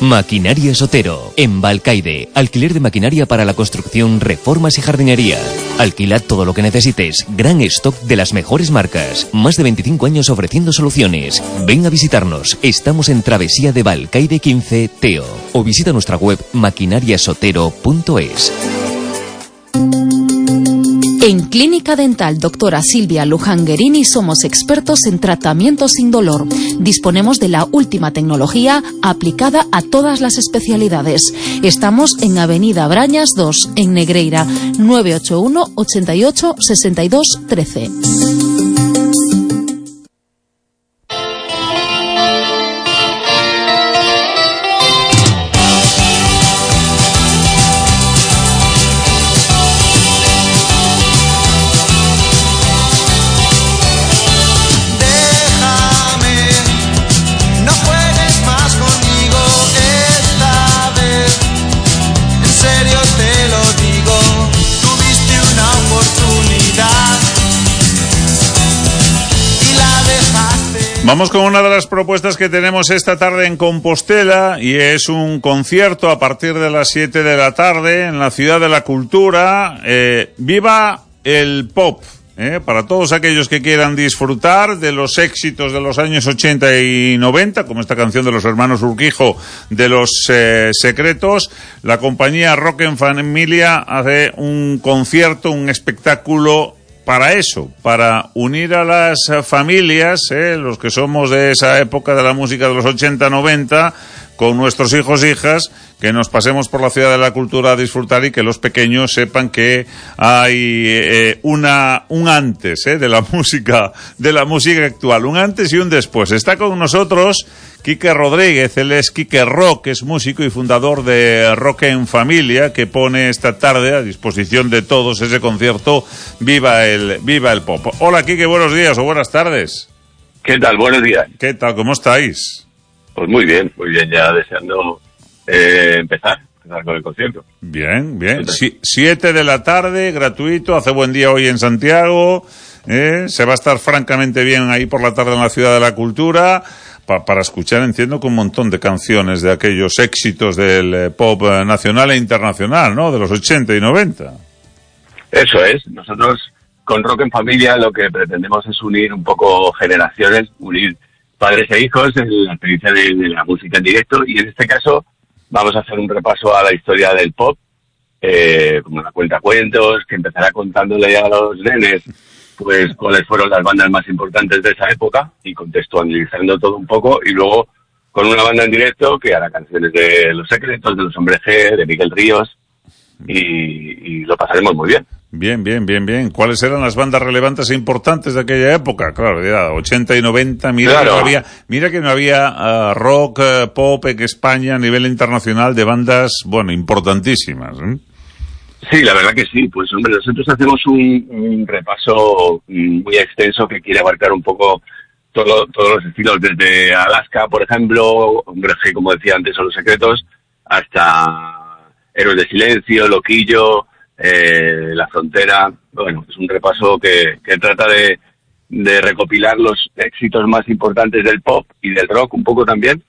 Maquinaria Sotero, en Balcaide. Alquiler de maquinaria para la construcción, reformas y jardinería. Alquila todo lo que necesites. Gran stock de las mejores marcas. Más de veinticinco años ofreciendo soluciones. Ven a visitarnos. Estamos en Travesía de Balcaide quince, Teo. O visita nuestra web maquinariasotero punto es. En Clínica Dental Doctora Silvia Luján-Guerini somos expertos en tratamiento sin dolor. Disponemos de la última tecnología aplicada a todas las especialidades. Estamos en Avenida Brañas dos, en Negreira, nueve ocho uno, ochenta y ocho, sesenta y dos, trece. Vamos con una de las propuestas que tenemos esta tarde en Compostela, y es un concierto a partir de las siete de la tarde en la Ciudad de la Cultura. Eh, ¡Viva el pop! Eh, para todos aquellos que quieran disfrutar de los éxitos de los años ochenta y noventa, como esta canción de los hermanos Urquijo de Los eh, Secretos, la compañía Rock en Familia hace un concierto, un espectáculo para eso, para unir a las familias, eh, los que somos de esa época de la música de los ochenta noventa, con nuestros hijos e hijas, que nos pasemos por la Ciudad de la Cultura a disfrutar y que los pequeños sepan que hay eh, una un antes eh, de la música de la música actual, un antes y un después. Está con nosotros Quique Rodríguez, él es Quique Rock, es músico y fundador de Rock en Familia, que pone esta tarde a disposición de todos ese concierto Viva el Viva el Pop. Hola Quique, buenos días o buenas tardes. ¿Qué tal? Buenos días. ¿Qué tal? ¿Cómo estáis? Pues muy bien, muy bien, ya deseando eh, empezar, empezar con el concierto. Bien, bien. Si, siete de la tarde, gratuito, hace buen día hoy en Santiago, eh, se va a estar francamente bien ahí por la tarde en la Ciudad de la Cultura. Pa, para escuchar, entiendo que un montón de canciones de aquellos éxitos del eh, pop eh, nacional e internacional, ¿no? De los ochenta y noventa. Eso es. Nosotros con Rock en Familia lo que pretendemos es unir un poco generaciones, unir padres e hijos en la experiencia de, de la música en directo, y en este caso vamos a hacer un repaso a la historia del pop, eh, como una cuentacuentos, que empezará contándole a los nenes pues cuáles fueron las bandas más importantes de esa época y contextualizando todo un poco, y luego con una banda en directo que hará canciones de Los Secretos, de Los Hombres G, de Miguel Ríos, y, y lo pasaremos muy bien. Bien, bien, bien, bien. ¿Cuáles eran las bandas relevantes e importantes de aquella época? Claro, ya ochenta y noventa, mira, claro. que no había, mira que no había uh, rock, uh, pop en España a nivel internacional de bandas, bueno, importantísimas, ¿eh? Sí, la verdad que sí. Pues hombre, nosotros hacemos un, un repaso muy extenso que quiere abarcar un poco todo, todos los estilos, desde Alaska, por ejemplo, Hombre G, como decía antes, son Los Secretos, hasta Héroes de Silencio, Loquillo, eh, La Frontera. Bueno, es un repaso que, que trata de, de recopilar los éxitos más importantes del pop y del rock un poco también,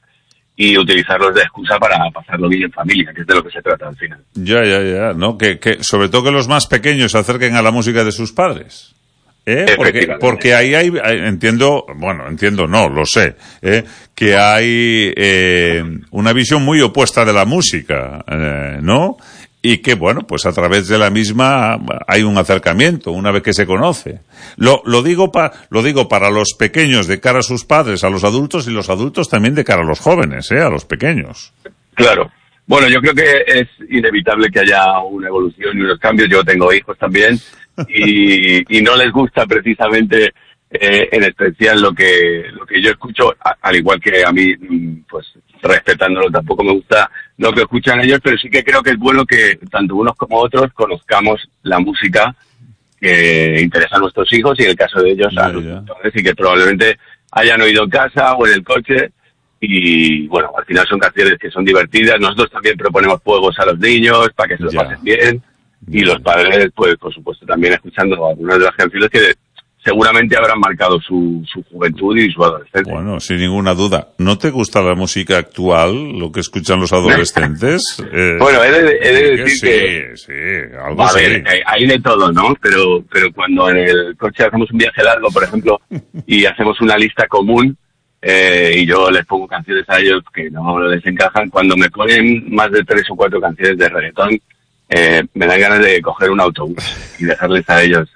y utilizarlos de excusa para pasarlo bien en familia, que es de lo que se trata al final. Ya, ya, ya, ¿no? Que, que sobre todo que los más pequeños se acerquen a la música de sus padres. ¿Eh? Porque, porque ahí hay, hay, entiendo, bueno, entiendo, no, lo sé, ¿eh? que hay eh, una visión muy opuesta de la música, eh, ¿no? Y que, bueno, pues a través de la misma hay un acercamiento, una vez que se conoce. Lo, lo digo pa, lo digo para los pequeños de cara a sus padres, a los adultos, y los adultos también de cara a los jóvenes, ¿eh? A los pequeños. Claro. Bueno, yo creo que es inevitable que haya una evolución y unos cambios. Yo tengo hijos también, y, y no les gusta precisamente, eh, en especial lo que, lo que yo escucho, a, al igual que a mí, pues, respetándolo, tampoco me gusta lo que escuchan ellos, pero sí que creo que es bueno que tanto unos como otros conozcamos la música que interesa a nuestros hijos, y en el caso de ellos a los padres, y que probablemente hayan oído en casa o en el coche, y bueno, al final son canciones que son divertidas. Nosotros también proponemos juegos a los niños para que se lo ya. pasen bien, y los padres, pues por supuesto, también escuchando algunas de las canciones que seguramente habrán marcado su, su juventud y su adolescencia. Bueno, sin ninguna duda. ¿No te gusta la música actual, lo que escuchan los adolescentes? eh, bueno, he de, he de decir sí, que... Sí, algo a sí. ver, hay de todo, ¿no? Pero, pero cuando en el coche hacemos un viaje largo, por ejemplo, y hacemos una lista común, eh, y yo les pongo canciones a ellos que no les encajan, cuando me ponen más de tres o cuatro canciones de reggaetón, eh, me dan ganas de coger un autobús y dejarles a ellos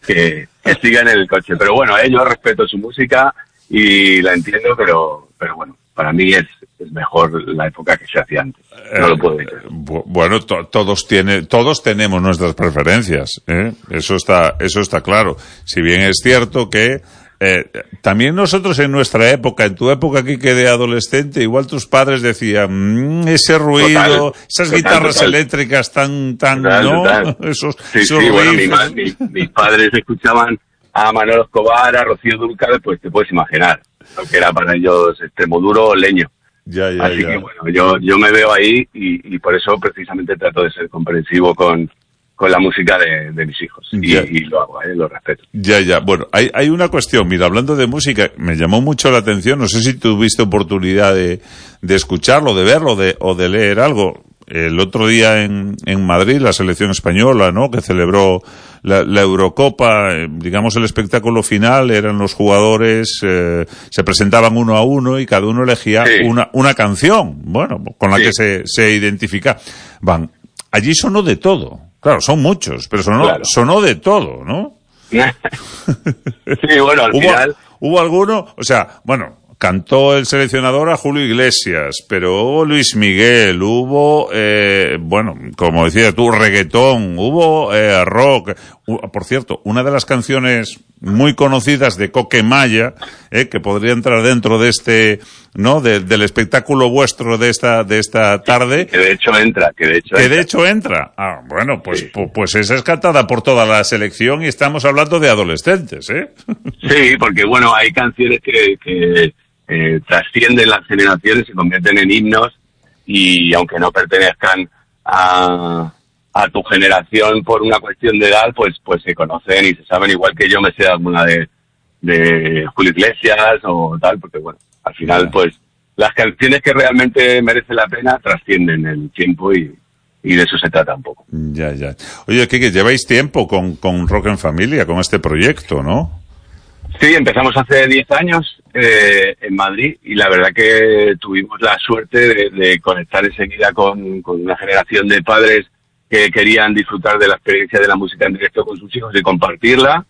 que, que sigan en el coche. Pero bueno, eh, yo respeto su música y la entiendo, pero, pero bueno, para mí es, es mejor la época que se hacía antes. No lo puedo decir. Eh, bueno, to, todos tiene, todos tenemos nuestras preferencias, ¿eh? Eso está, eso está claro. Si bien es cierto que eh, también nosotros en nuestra época, en tu época aquí que de adolescente, igual tus padres decían, mmm, ese ruido, total, esas total, guitarras total. eléctricas tan, tan, total, ¿no? Total. Esos, sí, esos sí, bueno, mi, mi, mis padres escuchaban a Manolo Escobar, a Rocío Dúrcal, pues te puedes imaginar lo que era para ellos Extremoduro o Leño. Ya, ya, Así ya. que bueno, yo, yo me veo ahí y, y por eso precisamente trato de ser comprensivo con, con la música de, de mis hijos. Y, y lo hago, ¿eh? Lo respeto. Ya, ya. Bueno, hay, hay una cuestión. Mira, hablando de música, me llamó mucho la atención. No sé si tuviste oportunidad de, de escucharlo, de verlo de, o de leer algo. El otro día en, en Madrid, la selección española, ¿no?, que celebró la, la Eurocopa, eh, digamos, el espectáculo final eran los jugadores, eh, se presentaban uno a uno y cada uno elegía sí. una, una canción, bueno, con la sí. que se, se identifica. Van, allí sonó de todo. Claro, son muchos, pero sonó, claro. sonó de todo, ¿no? Sí, bueno, al ¿Hubo, final... ¿Hubo alguno? O sea, bueno... Cantó el seleccionador a Julio Iglesias, pero hubo Luis Miguel, hubo, eh, bueno, como decías tú, reggaetón, hubo eh, rock. Uh, por cierto, una de las canciones muy conocidas de Coquemaya, eh, que podría entrar dentro de este, ¿no?, de, del espectáculo vuestro de esta de esta tarde. Que de hecho entra, que de hecho que entra. de hecho entra. Ah, bueno, pues, sí. pues, pues esa es cantada por toda la selección y estamos hablando de adolescentes, ¿eh? Sí, porque bueno, hay canciones que... que... Eh, trascienden las generaciones, se convierten en himnos y aunque no pertenezcan a, a tu generación por una cuestión de edad, pues pues se conocen y se saben, igual que yo me sé alguna de, de Julio Iglesias o tal, porque bueno, al final pues las canciones que realmente merecen la pena trascienden el tiempo y, y de eso se trata un poco. Ya, ya. Oye, ¿qué, que lleváis tiempo con, con Rock en Familia, con este proyecto, ¿no? Sí, empezamos hace diez años eh, en Madrid y la verdad que tuvimos la suerte de, de conectar enseguida con, con una generación de padres que querían disfrutar de la experiencia de la música en directo con sus hijos y compartirla.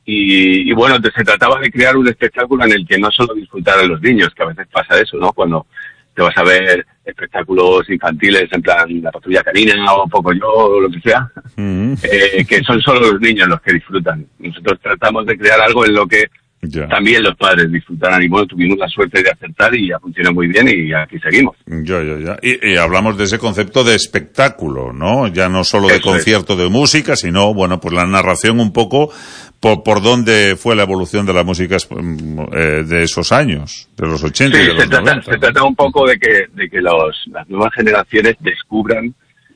Y, y bueno, se trataba de crear un espectáculo en el que no solo disfrutaran los niños, que a veces pasa eso, ¿no? Cuando te vas a ver espectáculos infantiles en plan La Patrulla Canina o Pocoyo o lo que sea, uh-huh. eh, que son solo los niños los que disfrutan. Nosotros tratamos de crear algo en lo que ya. también los padres disfrutaran y bueno, tuvimos la suerte de acertar y ya funcionó muy bien y aquí seguimos. Ya, ya, ya. Y, y hablamos de ese concepto de espectáculo, ¿no? Ya no solo de Eso concierto es. de música, sino, bueno, pues la narración un poco por, por dónde fue la evolución de la música eh, de esos años, de los ochenta sí, y de los se trata, noventa. Se trata un poco de que, de que los, las nuevas generaciones descubran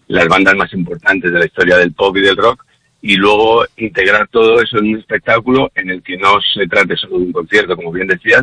las bandas más importantes de la historia del pop y del rock y luego integrar todo eso en un espectáculo en el que no se trate solo de un concierto, como bien decías,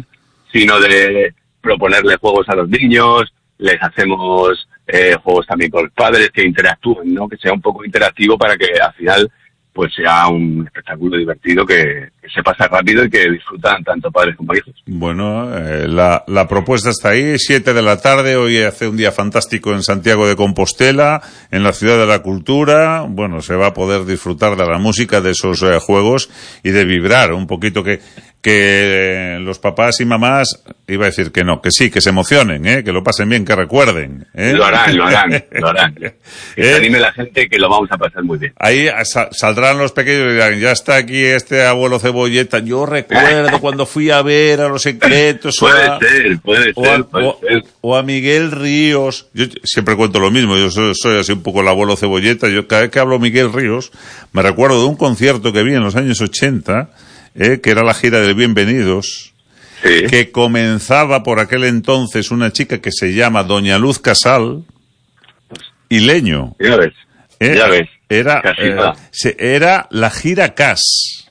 sino de proponerle juegos a los niños, les hacemos eh, juegos también con los padres que interactúen, ¿no? Que sea un poco interactivo para que al final pues sea un espectáculo divertido que, que se pasa rápido y que disfrutan tanto padres como hijos. Bueno, eh, la, la propuesta está ahí, siete de la tarde, hoy hace un día fantástico en Santiago de Compostela, en la Ciudad de la Cultura. Bueno, se va a poder disfrutar de la música, de esos eh, juegos y de vibrar un poquito, que que eh, los papás y mamás, iba a decir que no, que sí, que se emocionen, ¿eh? Que lo pasen bien, que recuerden, ¿eh? Lo harán, lo harán, lo harán. Que se anime la gente, que lo vamos a pasar muy bien. Ahí sa- saldrán los pequeños y dirán, ya está aquí este abuelo Cebolleta, yo recuerdo cuando fui a ver a Los Secretos, puede o a, ser, puede o a, ser, puede o, ser. o a Miguel Ríos. Yo siempre cuento lo mismo, yo soy, soy así un poco el abuelo Cebolleta. Yo cada vez que hablo Miguel Ríos me recuerdo de un concierto que vi en los años ochenta, eh, que era la gira de Bienvenidos, sí. que comenzaba por aquel entonces una chica que se llama Doña Luz Casal y Leño. Ya ves, eh, ya ves. Era, Casi eh, nada. se, era la gira Cas.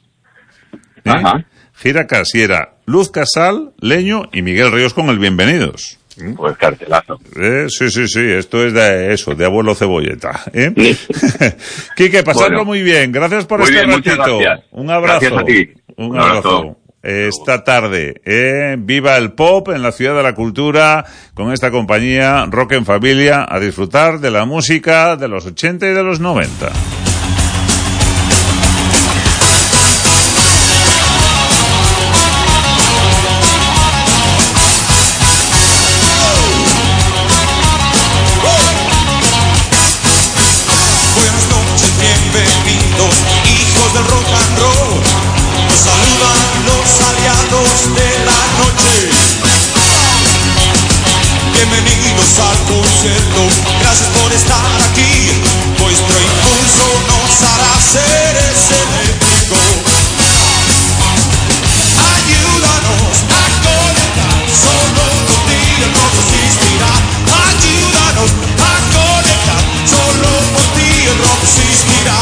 ¿eh? Ajá. Gira Cas, y era Luz Casal, Leño y Miguel Ríos con el Bienvenidos. Pues cartelazo. Eh, sí, sí, sí, esto es de eso, de abuelo Cebolleta. ¿eh? Quique, pasadlo Bueno. muy bien. Gracias por Muy este bien, muchas ratito. gracias. Un abrazo. Gracias a ti. Un Un abrazo. abrazo. esta tarde. ¿eh? Viva el pop en la Ciudad de la Cultura con esta compañía Rock en Familia, a disfrutar de la música de los ochenta y de los noventa. Bienvenidos, hijos del rock and roll. Nos saludan los aliados de la noche. Bienvenidos al concierto, gracias por estar aquí. Vuestro impulso nos hará seres eléctricos. Ayúdanos a conectar, solo contigo el rock existirá. Ayúdanos a conectar, solo por ti el rock existirá.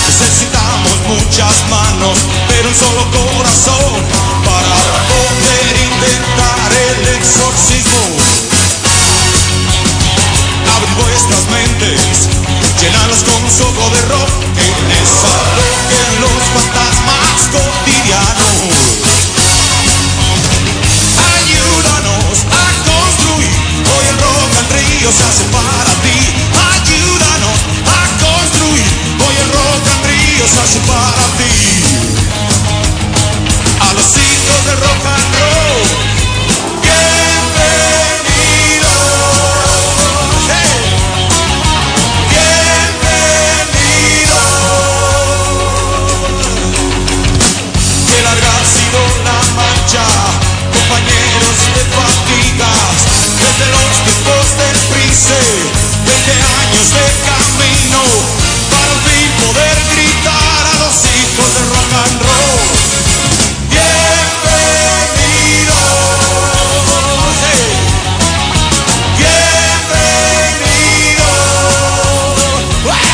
Necesitamos muchas manos, pero un solo corazón para poder intentar el exorcismo. Abrid vuestras mentes, llenadlas con un soplo de rock, que desalojen los fantasmas cotidianos. Ayúdanos a construir, hoy el rock al río se hace para ti. Ayúdanos a construir, hoy el rock al río se hace para ti. A los hijos del rock and roll, bienvenidos. Hey. Bienvenidos. Qué larga ha sido la marcha, compañeros de fatigas, desde los tiempos del Prince, veinte años de camino, para al fin poder gritar a los hijos del rock and roll. Bienvenidos, hey. Bienvenidos, hey.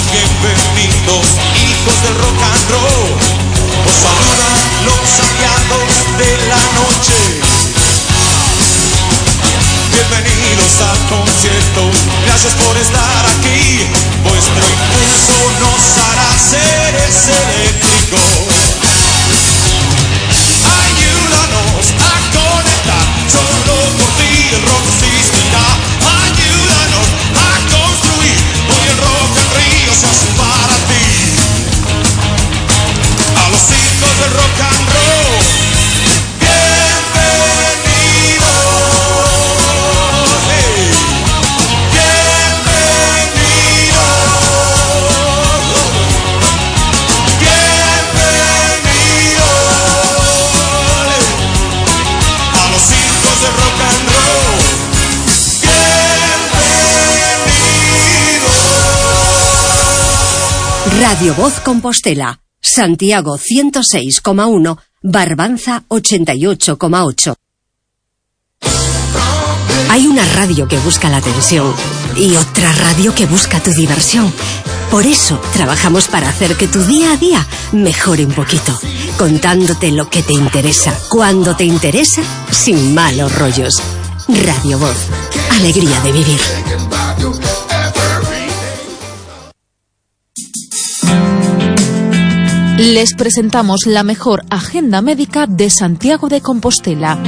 Bienvenidos, hijos del rock and roll. Os saludan los aliados de la noche. Bienvenidos al concierto, gracias por estar aquí. Vuestro impulso nos hará seres eléctricos. Ayúdanos a conectar, solo por ti el rock existirá. Ayúdanos a construir, hoy el rock al río se hace para ti. A los hijos del rock and roll, bienvenidos. Hey. Bienvenidos. Bienvenidos. A los hijos del rock and roll, bienvenidos. Radio Voz Compostela, Santiago ciento seis coma uno, Barbanza ochenta y ocho coma ocho. Hay una radio que busca la atención y otra radio que busca tu diversión. Por eso trabajamos para hacer que tu día a día mejore un poquito, contándote lo que te interesa, cuando te interesa, sin malos rollos. Radio Voz, alegría de vivir. Les presentamos la mejor agenda médica de Santiago de Compostela.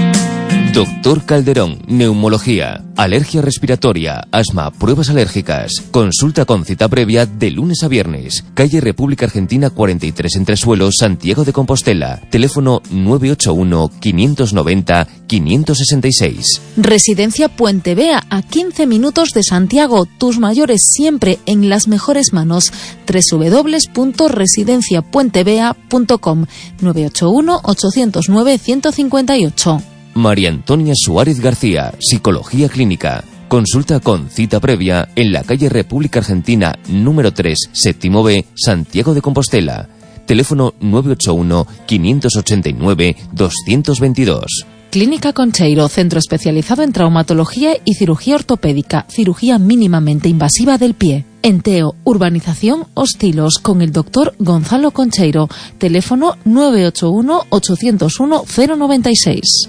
Doctor Calderón, neumología, alergia respiratoria, asma, pruebas alérgicas. Consulta con cita previa de lunes a viernes. Calle República Argentina cuarenta y tres Entresuelo, Santiago de Compostela. Teléfono nueve ocho uno, quinientos noventa, quinientos sesenta y seis. Residencia Puente Vea, a quince minutos de Santiago. Tus mayores siempre en las mejores manos. doble u doble u doble u punto residencia puente vea punto com. nueve ocho uno, ocho cero nueve, uno cinco ocho. María Antonia Suárez García, Psicología Clínica. Consulta con cita previa en la calle República Argentina número tres, séptimo B, Santiago de Compostela. Teléfono nueve ocho uno, quinientos ochenta y nueve, doscientos veintidós. Clínica Concheiro, centro especializado en traumatología y cirugía ortopédica, cirugía mínimamente invasiva del pie. En Teo, urbanización Hostilos, con el doctor Gonzalo Concheiro. Teléfono nueve ocho uno, ocho cero uno, cero nueve seis.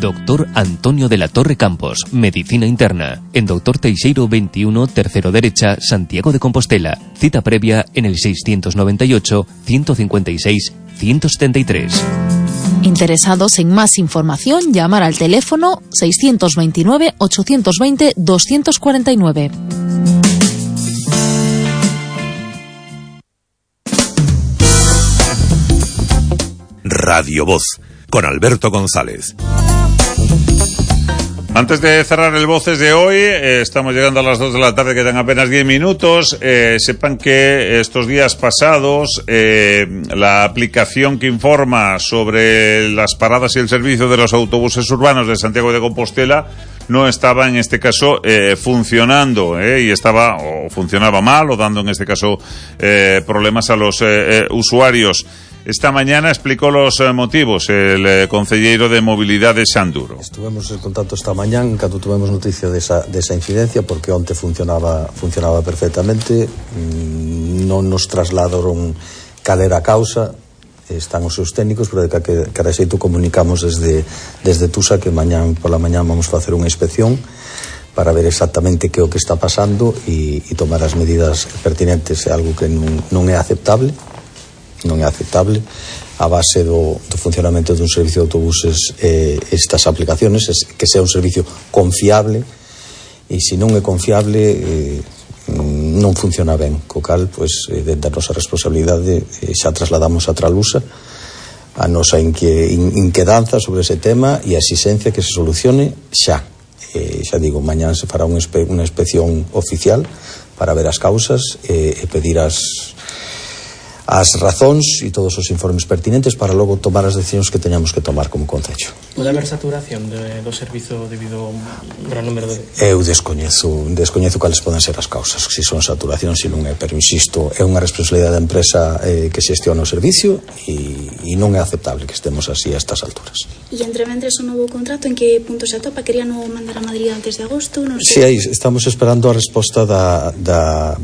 Doctor Antonio de la Torre Campos, Medicina Interna, en Doctor Teixeiro veintiuno, tercero derecha, Santiago de Compostela. Cita previa en el seiscientos noventa y ocho, ciento cincuenta y seis, ciento setenta y tres. Interesados en más información, llamar al teléfono seiscientos veintinueve, ochocientos veinte, doscientos cuarenta y nueve. Radio Voz, con Alberto González. Antes de cerrar el Voces de hoy, eh, estamos llegando a las dos de la tarde, quedan apenas diez minutos. Eh, sepan que estos días pasados eh, la aplicación que informa sobre las paradas y el servicio de los autobuses urbanos de Santiago de Compostela no estaba en este caso eh, funcionando eh, y estaba o funcionaba mal o dando en este caso eh, problemas a los eh, eh, usuarios. Esta mañana explicó los eh, motivos el eh, concelleiro de Mobilidad de Sanduro. Estuvemos en contacto esta mañana cando tuvemos noticia de esa, de esa incidencia, porque onte funcionaba funcionaba perfectamente, mm, non nos trasladaron cal era a causa, están os seus técnicos, pero de que, que a xeito comunicamos desde, desde Tusa que mañán pola mañán vamos facer unha inspección para ver exactamente que o que está pasando e, e tomar as medidas pertinentes. É algo que non, non é aceptable, non é aceptable a base do, do funcionamento dun servicio de autobuses eh, estas aplicaciones, es, que sea un servicio confiable, e se non é confiable eh, non funciona ben, co cal, pois, eh, dentro da nosa responsabilidade eh, xa trasladamos a Tralusa a nosa inque, in, inquedanza sobre ese tema e a exigencia que se solucione xa. Eh, xa digo, mañán se fará unha, espe, unha inspección oficial para ver as causas eh, e pedir as as razóns e todos os informes pertinentes para logo tomar as decisións que teñamos que tomar como concello. Pode haber saturación de, do servizo debido a un gran número de... Eu descoñezo, descoñezo cales poden ser as causas, se son saturación, se non é, pero insisto, é unha responsabilidade da empresa eh, que xestiona o servicio e, e non é aceptable que estemos así a estas alturas. E entre mentres o novo contrato, en que punto se atopa? Querían o mandar a Madrid antes de agosto? Non sei. Si, aí estamos esperando a resposta da... da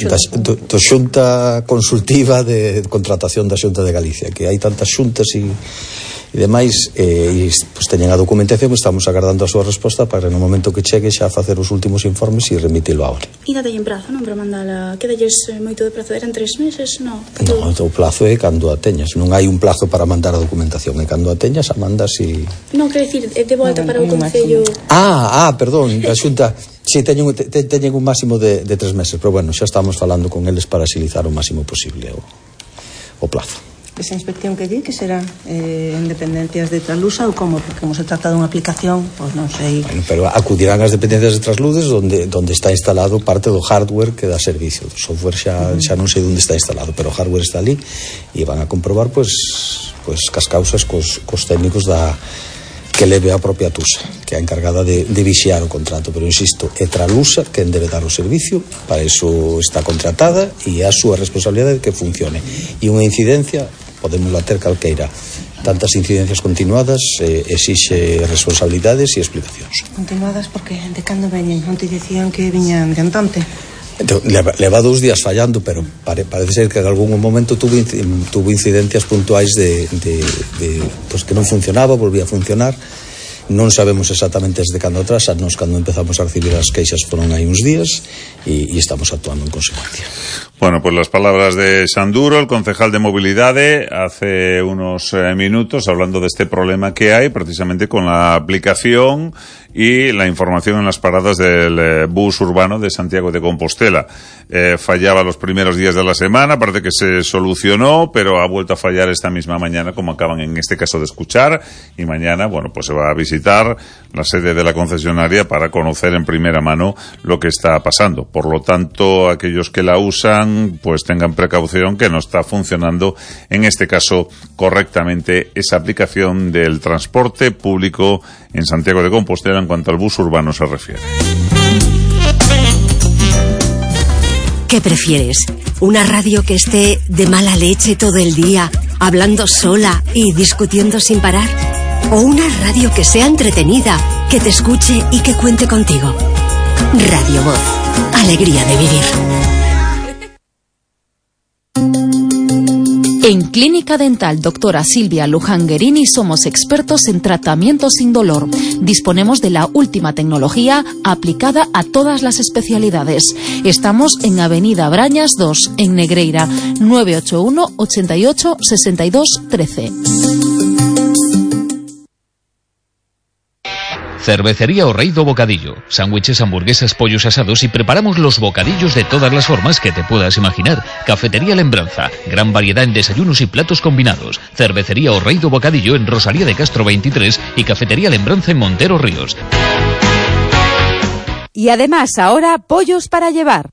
Da, do, do xunta consultiva de contratación da Xunta de Galicia, que hai tantas xuntas e, e demais, e, e pues, teñen a documentación, estamos agardando a súa resposta para no momento que chegue xa facer os últimos informes e remitilo ahora. E date en prazo, non? Para mandala, quedalles moito de prazo, eran tres meses, non? Non, o plazo é cando a teñas, non hai un plazo para mandar a documentación, é cando a teñas a mandas e... Non, quero dicir, de volta para o Concello... Ah, ah, perdón, a Xunta... Si, teñen, te, teñen un máximo de, de tres meses, pero bueno, xa estamos falando con eles para agilizar o máximo posible o, o plazo. Esa inspección que di que será eh, en dependencias de Tralusa ou como? Porque como se trata dunha aplicación, pois pues non sei. Bueno, pero acudirán as dependencias de Trasludes donde, donde está instalado parte do hardware que dá servicio. O software xa, uh -huh. xa non sei onde está instalado, pero o hardware está ali e van a comprobar pois, pois cas causas cos, cos técnicos da que leve a propia Tusa, que é a encargada de, de vixiar o contrato, pero insisto, é Tralusa quen debe dar o servicio, para iso está contratada e é a súa responsabilidade que funcione. E unha incidencia podemos ter calqueira, tantas incidencias continuadas eh, exixe responsabilidades e explicacións. Continuadas porque de cando veñen? Non te dicían que viñan de antante? Leva, leva dous días fallando, pero pare, parece ser que en algún momento tuvo, tuvo incidencias puntuais de, de, de pues que non funcionaba, volvía a funcionar. Non sabemos exactamente desde cando atrás, a nos cando empezamos a recibir as queixas foron aí uns días e, e estamos actuando en consecuencia. Bueno, pues las palabras de Sanduro, el concejal de Mobilidade, hace unos eh, minutos hablando de este problema que hay precisamente con la aplicación y la información en las paradas del eh, bus urbano de Santiago de Compostela. Eh, fallaba los primeros días de la semana, parece que se solucionó, pero ha vuelto a fallar esta misma mañana, como acaban en este caso de escuchar, y mañana, bueno, pues se va a visitar la sede de la concesionaria para conocer en primera mano lo que está pasando. Por lo tanto, aquellos que la usan, pues tengan precaución que no está funcionando, en este caso, correctamente esa aplicación del transporte público en Santiago de Compostela en cuanto al bus urbano se refiere. ¿Qué prefieres? ¿Una radio que esté de mala leche todo el día, hablando sola y discutiendo sin parar? O una radio que sea entretenida, que te escuche y que cuente contigo. Radio Voz. Alegría de vivir. En Clínica Dental Doctora Silvia Lujanguerini somos expertos en tratamiento sin dolor. Disponemos de la última tecnología aplicada a todas las especialidades. Estamos en Avenida Brañas dos, en Negreira, nueve ocho uno, ochenta y ocho, sesenta y dos, trece. Cervecería O Rei do Bocadillo. Sándwiches, hamburguesas, pollos asados y preparamos los bocadillos de todas las formas que te puedas imaginar. Cafetería Lembranza. Gran variedad en desayunos y platos combinados. Cervecería O Rei do Bocadillo en Rosalía de Castro veintitrés y Cafetería Lembranza en Montero Ríos. Y además ahora pollos para llevar.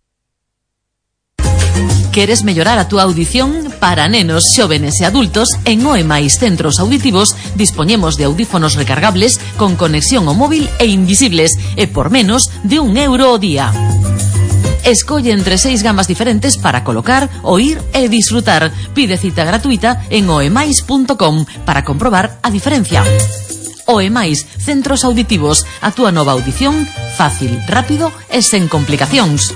Queres mellorar a túa audición? Para nenos, xóvenes e adultos, en O E máis Centros Auditivos dispoñemos de audífonos recargables con conexión ao móvil e invisibles e por menos de un euro ao día. Escolle entre seis gamas diferentes para colocar, oír e disfrutar. Pide cita gratuita en oemais punto com para comprobar a diferencia. O E máis Centros Auditivos, a túa nova audición fácil, rápido e sen complicacións.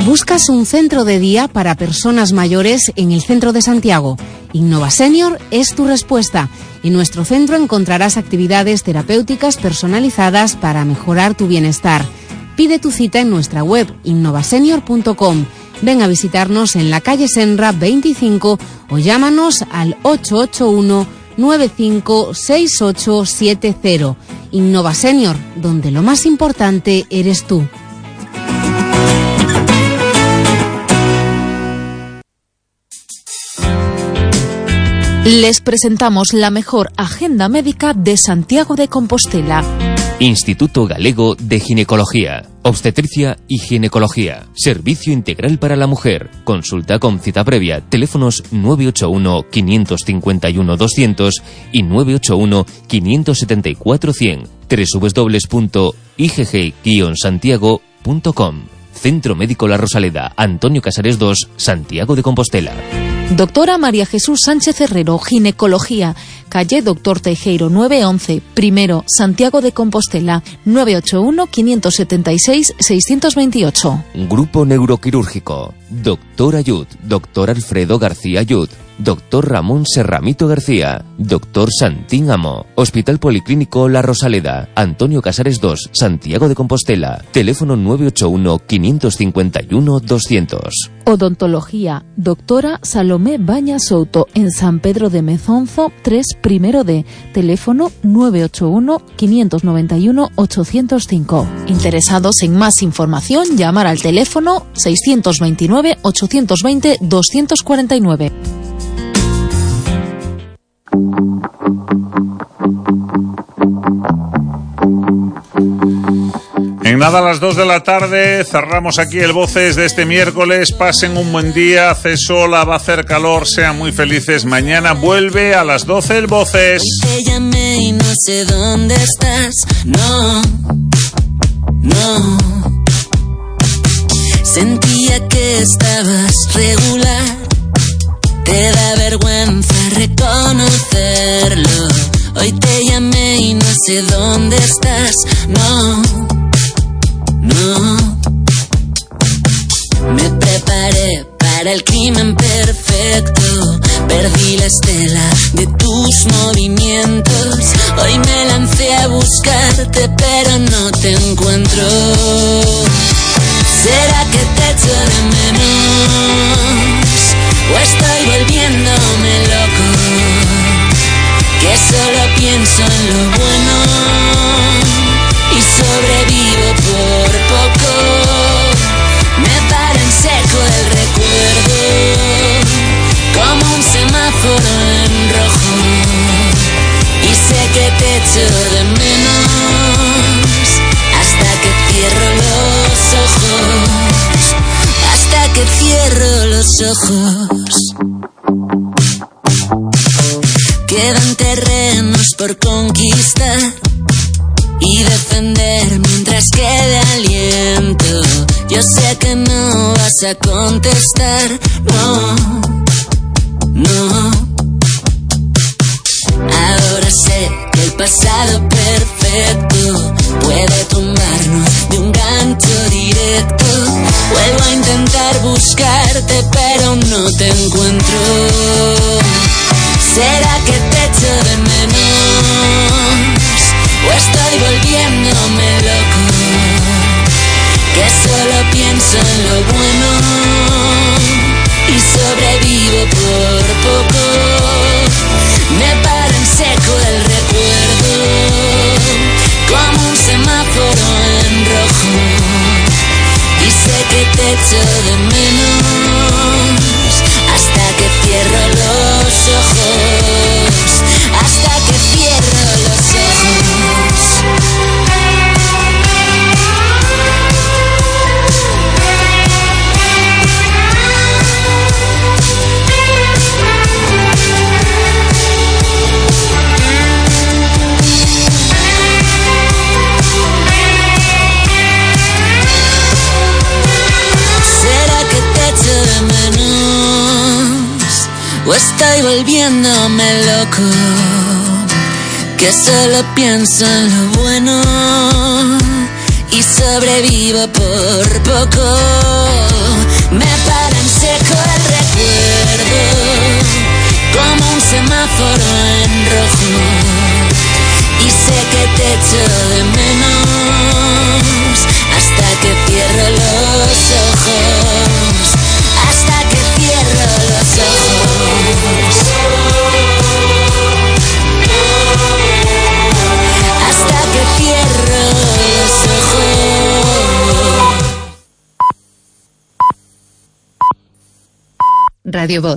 ¿Buscas un centro de día para personas mayores en el centro de Santiago? Innova Senior es tu respuesta. En nuestro centro encontrarás actividades terapéuticas personalizadas para mejorar tu bienestar. Pide tu cita en nuestra web innova senior punto com. Ven a visitarnos en la calle Senra veinticinco o llámanos al ocho ocho uno, nueve cinco seis ocho siete cero. Innova Senior, donde lo más importante eres tú. Les presentamos la mejor agenda médica de Santiago de Compostela. Instituto Galego de Ginecología, Obstetricia y Ginecología. Servicio integral para la mujer. Consulta con cita previa. Teléfonos nueve ocho uno, cinco cinco uno, doscientos y nueve ocho uno, cinco siete cuatro, cien. doble u doble u doble u punto i g g guion santiago punto com. Centro Médico La Rosaleda, Antonio Casares dos, Santiago de Compostela. Doctora María Jesús Sánchez Herrero, Ginecología, calle Doctor Teijeiro nueve once, primero, Santiago de Compostela, nueve ocho uno, cinco siete seis, seis dos ocho. Grupo Neuroquirúrgico, Doctor Ayud, Doctor Alfredo García Ayud, Doctor Ramón Serramito García, Doctor Santín Amo, Hospital Policlínico La Rosaleda, Antonio Casares dos, Santiago de Compostela, teléfono nueve ocho uno, cinco cinco uno, doscientos. Odontología, Doctora Salomé Baña Souto, en San Pedro de Mezonzo, tres primero D, teléfono nueve ocho uno, cinco nueve uno, ocho cero cinco. Interesados en más información, llamar al teléfono seis dos nueve, ocho dos cero, dos cuatro nueve. En nada, a las dos de la tarde cerramos aquí el Voces de este miércoles. Pasen un buen día, hace sol, va a hacer calor, sean muy felices. Mañana vuelve a las doce el Voces. Te llamé y no sé dónde estás, no, no. Sentía que estabas regular, te da vergüenza reconocerlo. Hoy te llamé y no sé dónde estás, no, no. Me preparé para el crimen perfecto, perdí la estela de tus movimientos. Hoy me lancé a buscarte pero no te encuentro. ¿Será que te echo de menos? ¿O estoy volviéndome loco? Que solo pienso en lo bueno y sobrevivo por poco. Me para en seco el recuerdo, como un semáforo en rojo. Y sé que te echo de menos hasta que cierro los ojos, hasta que cierro los ojos. Quedan terrenos por conquistar y defender mientras quede aliento. Yo sé que no vas a contestar, no. estado perfecto puede tumbarnos de un gancho directo. Vuelvo a intentar buscarte, pero no te encuentro. ¿Será que te echo de menos? ¿O estoy volviéndome loco? Que solo pienso en lo bueno y sobrevivo por poco. Me para en seco el recuerdo, como un semáforo en rojo. Y sé que te echo de menos hasta que cierro los ojos, hasta que cierro los ojos. O estoy volviéndome loco, que solo pienso en lo bueno y sobrevivo por poco. Me para en seco el recuerdo, como un semáforo en rojo. Y sé que te echo de menos hasta que cierro los ojos, hasta que cierro los ojos, hasta que cierro los ojos. Radio Voz.